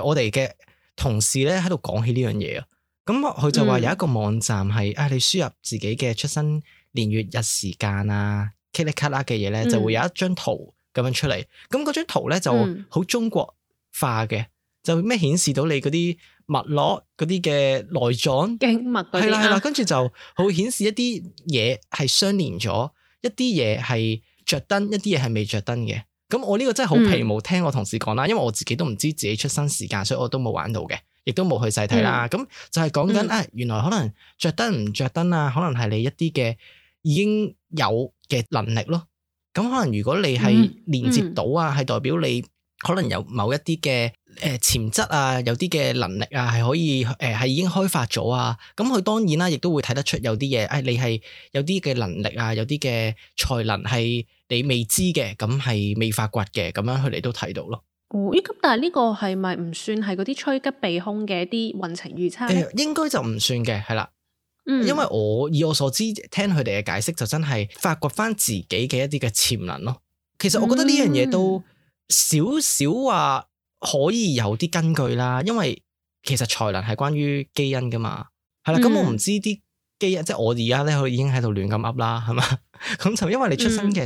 B: 我哋嘅同事咧喺度講起呢樣嘢啊，咁佢就話有一個網站係你輸入自己嘅出生年月日時間啊，噼里卡啦嘅嘢咧，就會有一張圖咁樣出嚟。咁嗰張圖咧就好中國化嘅，就咩顯示到你嗰啲脈絡嗰啲嘅內臟
A: 經脈嗰啲
B: 係啦，跟住就會顯示一啲嘢係相連咗，一啲嘢係着燈，一啲嘢係未着燈嘅。咁我呢個真係好皮毛，聽我同事講啦，因為我自己都唔知自己出生時間，所以我都冇玩到嘅，亦都冇去細睇啦。咁就係講緊原來可能着燈唔着燈啊，可能係你一啲嘅已經有嘅能力咯。咁可能如果你係連接到啊，係代表你可能有某一啲嘅潛質啊，有啲嘅能力啊，係可以係已經開發咗啊。咁佢當然啦，亦都會睇得出有啲嘢，你係有啲嘅能力啊，有啲嘅才能係你未知嘅，咁係未發掘嘅，咁樣佢哋都睇到咯。
A: 哦，咁但係呢個係咪唔算係嗰啲趨吉避凶嘅一啲運程預測咧？
B: 應該就唔算嘅，係啦。因為以我所知，聽佢哋嘅解釋就真係發掘翻自己嘅一啲嘅潛能咯。其實我覺得呢樣嘢都少少話可以有啲根據啦，因為其實才能係關於基因噶嘛，係啦。咁我唔知啲基因，即係我而家咧，佢已經喺度亂咁噏啦，係嘛？咁就因為你出生嘅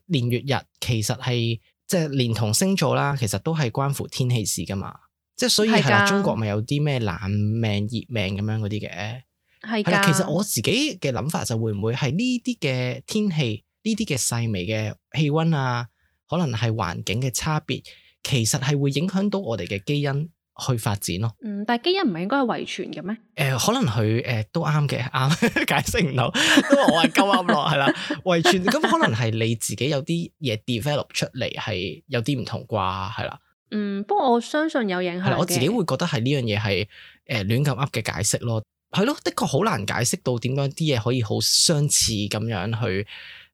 B: 年月日，其實係即係連同星座啦，其實都係關乎天氣事噶嘛。即係所以係啦，中國咪有啲咩冷命、熱命咁樣嗰啲嘅。係啦，其實我自己嘅諗法就會唔會係呢啲嘅天氣，呢啲嘅細微嘅氣溫啊，可能係環境嘅差別，其實係會影響到我哋嘅基因去發展咯。
A: 但係基因唔係應該係遺傳嘅咩？
B: 可能佢都啱嘅，啱解釋唔到，都話我係鳩噏咯，係啦，遺傳咁可能係你自己有啲嘢 develop 出嚟係有啲唔同啩，係啦。
A: 不過我相信有影響嘅。
B: 我自己會覺得係呢樣嘢係亂咁噏嘅解釋咯。係咯，的確好難解釋到點解啲嘢可以好相似咁樣去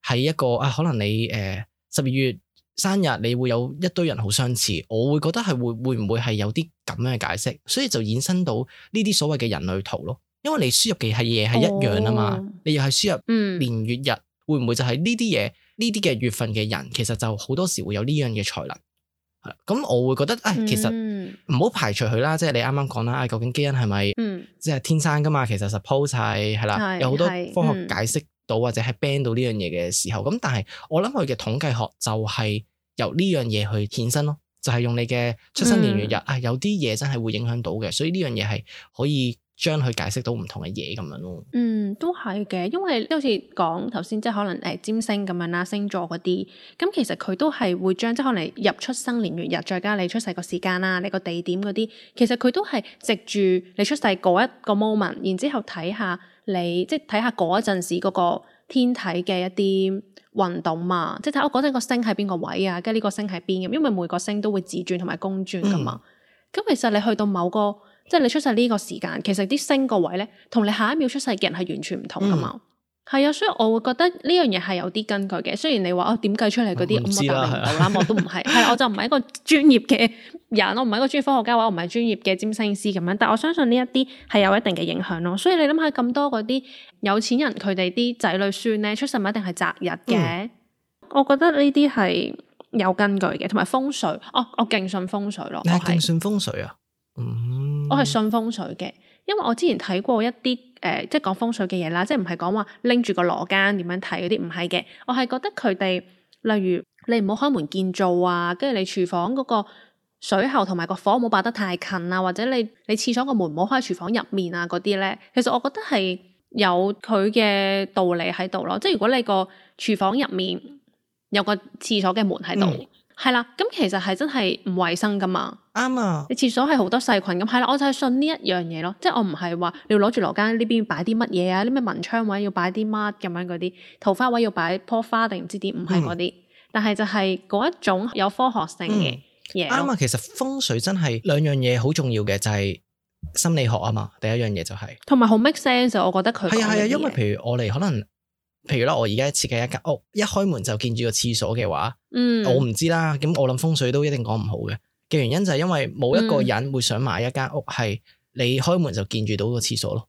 B: 喺一個可能你12月生日你會有一堆人好相似，我會覺得係會唔會係有啲咁樣嘅解釋，所以就衍生到呢啲所謂嘅人類圖咯。因為你輸入嘅嘢係一樣啊嘛，你又係輸入年月日，會唔會就係呢啲嘢呢啲嘅月份嘅人，其實就好多時會有呢樣嘅才能。咁我會覺得其實唔好排除佢啦，即係你啱啱講啦，究竟基因係咪即係天生噶嘛？其實 suppose 係啦，有好多科學解釋到或者係 ban 到呢樣嘢嘅時候，咁但係我諗佢嘅統計學就係由呢樣嘢去衍生咯，就係用你嘅出生年月日有啲嘢真係會影響到嘅，所以呢樣嘢係可以將佢解釋到唔同嘅嘢咁樣咯。
A: 都係嘅，因為好似講頭先，即係可能占星咁樣啦，星座嗰啲，咁其實佢都係會將即係可能入出生年月日，再加你出世個時間啦，你個地點嗰啲，其實佢都係藉住你出世嗰一個 moment， 然之後睇下你即係睇下嗰一陣時嗰個天體嘅一啲運動嘛，即係睇我嗰陣個星喺邊個位啊，跟住呢個星喺邊咁，因為每個星都會自轉同埋公轉噶嘛。咁其實你去到某個即係你出世呢個時間，其實啲星個位咧，同你下一秒出世嘅人係完全唔同噶嘛。係啊，所以我會覺得呢樣嘢係有啲根據嘅。雖然你話點計出嚟嗰啲，我答你唔到啦，我都唔係。係啦，我就唔係一個專業嘅人，我唔係一個專業科學家，或者我唔係專業嘅占星師咁樣。但我相信呢一啲係有一定嘅影響咯。所以你諗下咁多嗰啲有錢人，佢哋啲仔女孫咧出世唔一定係擇日嘅。我覺得呢啲係有根據嘅，同埋風水。我勁信風水咯。你係
B: 勁信風水啊？
A: 我係信風水嘅，因為我之前睇過一啲即係講風水嘅嘢啦，即係唔係講話拎住個羅庚點樣睇嗰啲，唔係嘅。我係覺得佢哋，例如你唔好開門見灶啊，跟住你廚房嗰個水喉同埋個火唔好擺得太近啊，或者你廁所個門唔好開喺廚房入面啊嗰啲咧，其實我覺得係有佢嘅道理喺度咯。即係如果你個廚房入面有個廁所嘅門喺度。係啦，咁其實係真係唔衛生噶嘛。
B: 啱啊！
A: 你廁所係好多細菌咁，係啦，我就係信呢一樣嘢咯。即係我唔係話你要攞住羅庚呢邊擺啲乜嘢啊，啲咩文昌位要擺啲乜咁樣嗰啲，桃花位要擺棵花定唔知點，唔係嗰啲。但係就係嗰一種有科學性嘅嘢。
B: 啱啊！其實風水真係兩樣嘢好重要嘅，就係心理學啊嘛。第一樣嘢就係
A: 同埋好 make sense，我覺得佢
B: 係啊，因為譬如我哋可能。譬如啦，我而家設計一間屋，一開門就見住個廁所嘅話，我唔知啦。咁我諗風水都一定講唔好嘅原因就係因為冇一個人會想買一間屋係你開門就見住到個廁所咯。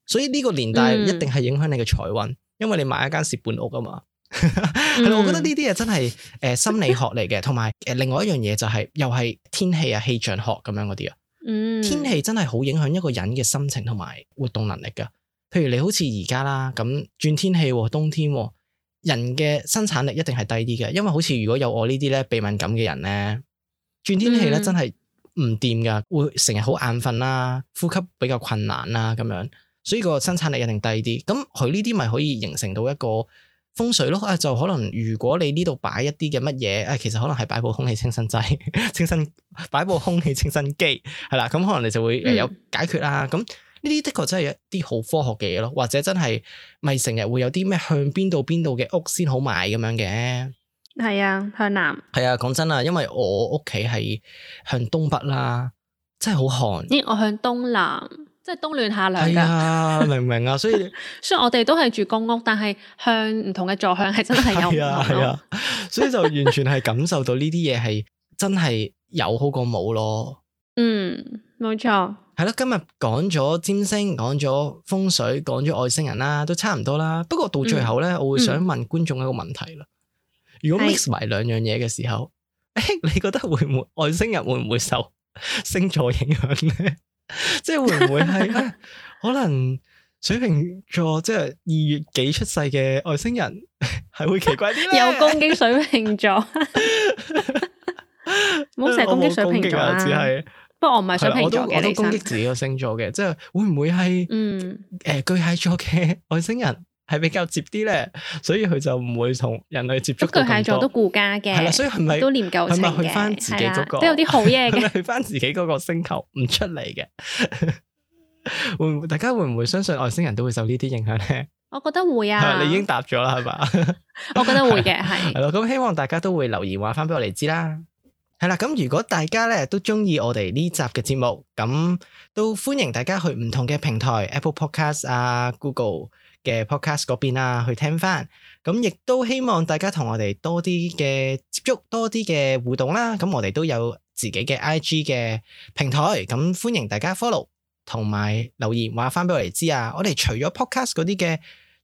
B: 所以呢個年代一定係影響你嘅財運，因為你買一間蝕本屋啊嘛。係咯，我覺得呢啲嘢真係心理學嚟嘅，同埋另外一樣嘢就係又係天氣啊、氣象學咁樣嗰啲啊。天氣真係好影響一個人嘅心情同埋活動能力噶。譬如你好似而家啦，咁轉天氣，冬天，人嘅生產力一定係低啲嘅，因為好似如果有我呢啲咧鼻敏感嘅人咧，轉天氣咧真係唔掂噶，會成日好眼瞓啦，呼吸比較困難啦咁樣，所以個生產力一定低啲。咁佢呢啲咪可以形成到一個風水咯。就可能如果你呢度擺一啲嘅乜嘢，其實可能係擺部空氣清新劑，擺部空氣清新機，係啦，咁可能你就會有解決啦。咁呢啲的確真係一啲好科學嘅嘢咯，或者真係咪成日會有啲咩向邊度嘅屋先好買咁樣嘅？
A: 係啊，向南。係
B: 啊，講真啊，因為我屋企係向東北啦，真係好寒。
A: 我向東南，即係冬暖夏涼㗎。係
B: 啊，明唔明啊？所以
A: 雖然我哋都係住公屋，但係向唔同嘅座向係真係有唔同咯。
B: 所以就完全係感受到呢啲嘢係真係有好過冇咯。
A: 冇錯。
B: 係咯，今日講咗占星，講咗風水，講咗外星人啦，都差唔多啦。不過到最後咧，我會想問觀眾一個問題啦。如果 mix 埋兩樣嘢嘅時候，你覺得會唔會外星人會唔會受星座影響咧？即係會唔會係可能水瓶座即係2月幾出世嘅外星人係會奇怪啲咧？
A: 有攻擊水瓶座，唔好成日攻擊水瓶座啦。
B: 只係。
A: 不過我唔係水瓶座嘅，
B: 我都攻擊自己個星座嘅，即係會唔會係巨蟹座嘅外星人係比較接啲咧，所以佢就唔會同人類接觸到咁多。巨蟹座
A: 都顧家嘅，係啦，
B: 所以係咪
A: 都念舊情嘅？
B: 係咪去翻自己嗰個
A: 都有啲好嘢嘅？
B: 係咪去翻自己嗰個星球唔出嚟嘅？會唔會大家會唔會相信外星人都會受呢啲影響咧？
A: 我覺得會啊。
B: 你已經答咗啦，係嘛？
A: 我覺得會嘅，係。
B: 係咯，咁希望大家都會留言話翻俾我哋知啦。係啦，咁如果大家咧都中意我哋呢集嘅節目，咁都歡迎大家去唔同嘅平台 Apple Podcast 啊、Google 嘅 Podcast 嗰邊啊去聽翻。咁亦都希望大家同我哋多啲嘅接觸，多啲嘅互動啦。咁我哋都有自己嘅 IG 嘅平台，咁歡迎大家 follow 同埋留言話翻俾我哋知啊。我哋除咗 Podcast 嗰啲嘅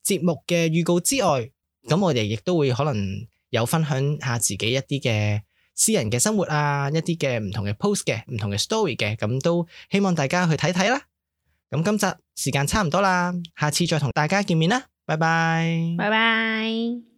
B: 節目嘅預告之外，咁我哋亦都會可能有分享下自己一啲嘅私人嘅生活啊，一啲嘅唔同嘅 post 嘅，唔同嘅 story 嘅，咁都希望大家去睇睇啦。咁今集時間差唔多啦，下次再同大家見面啦，拜拜。
A: 拜拜。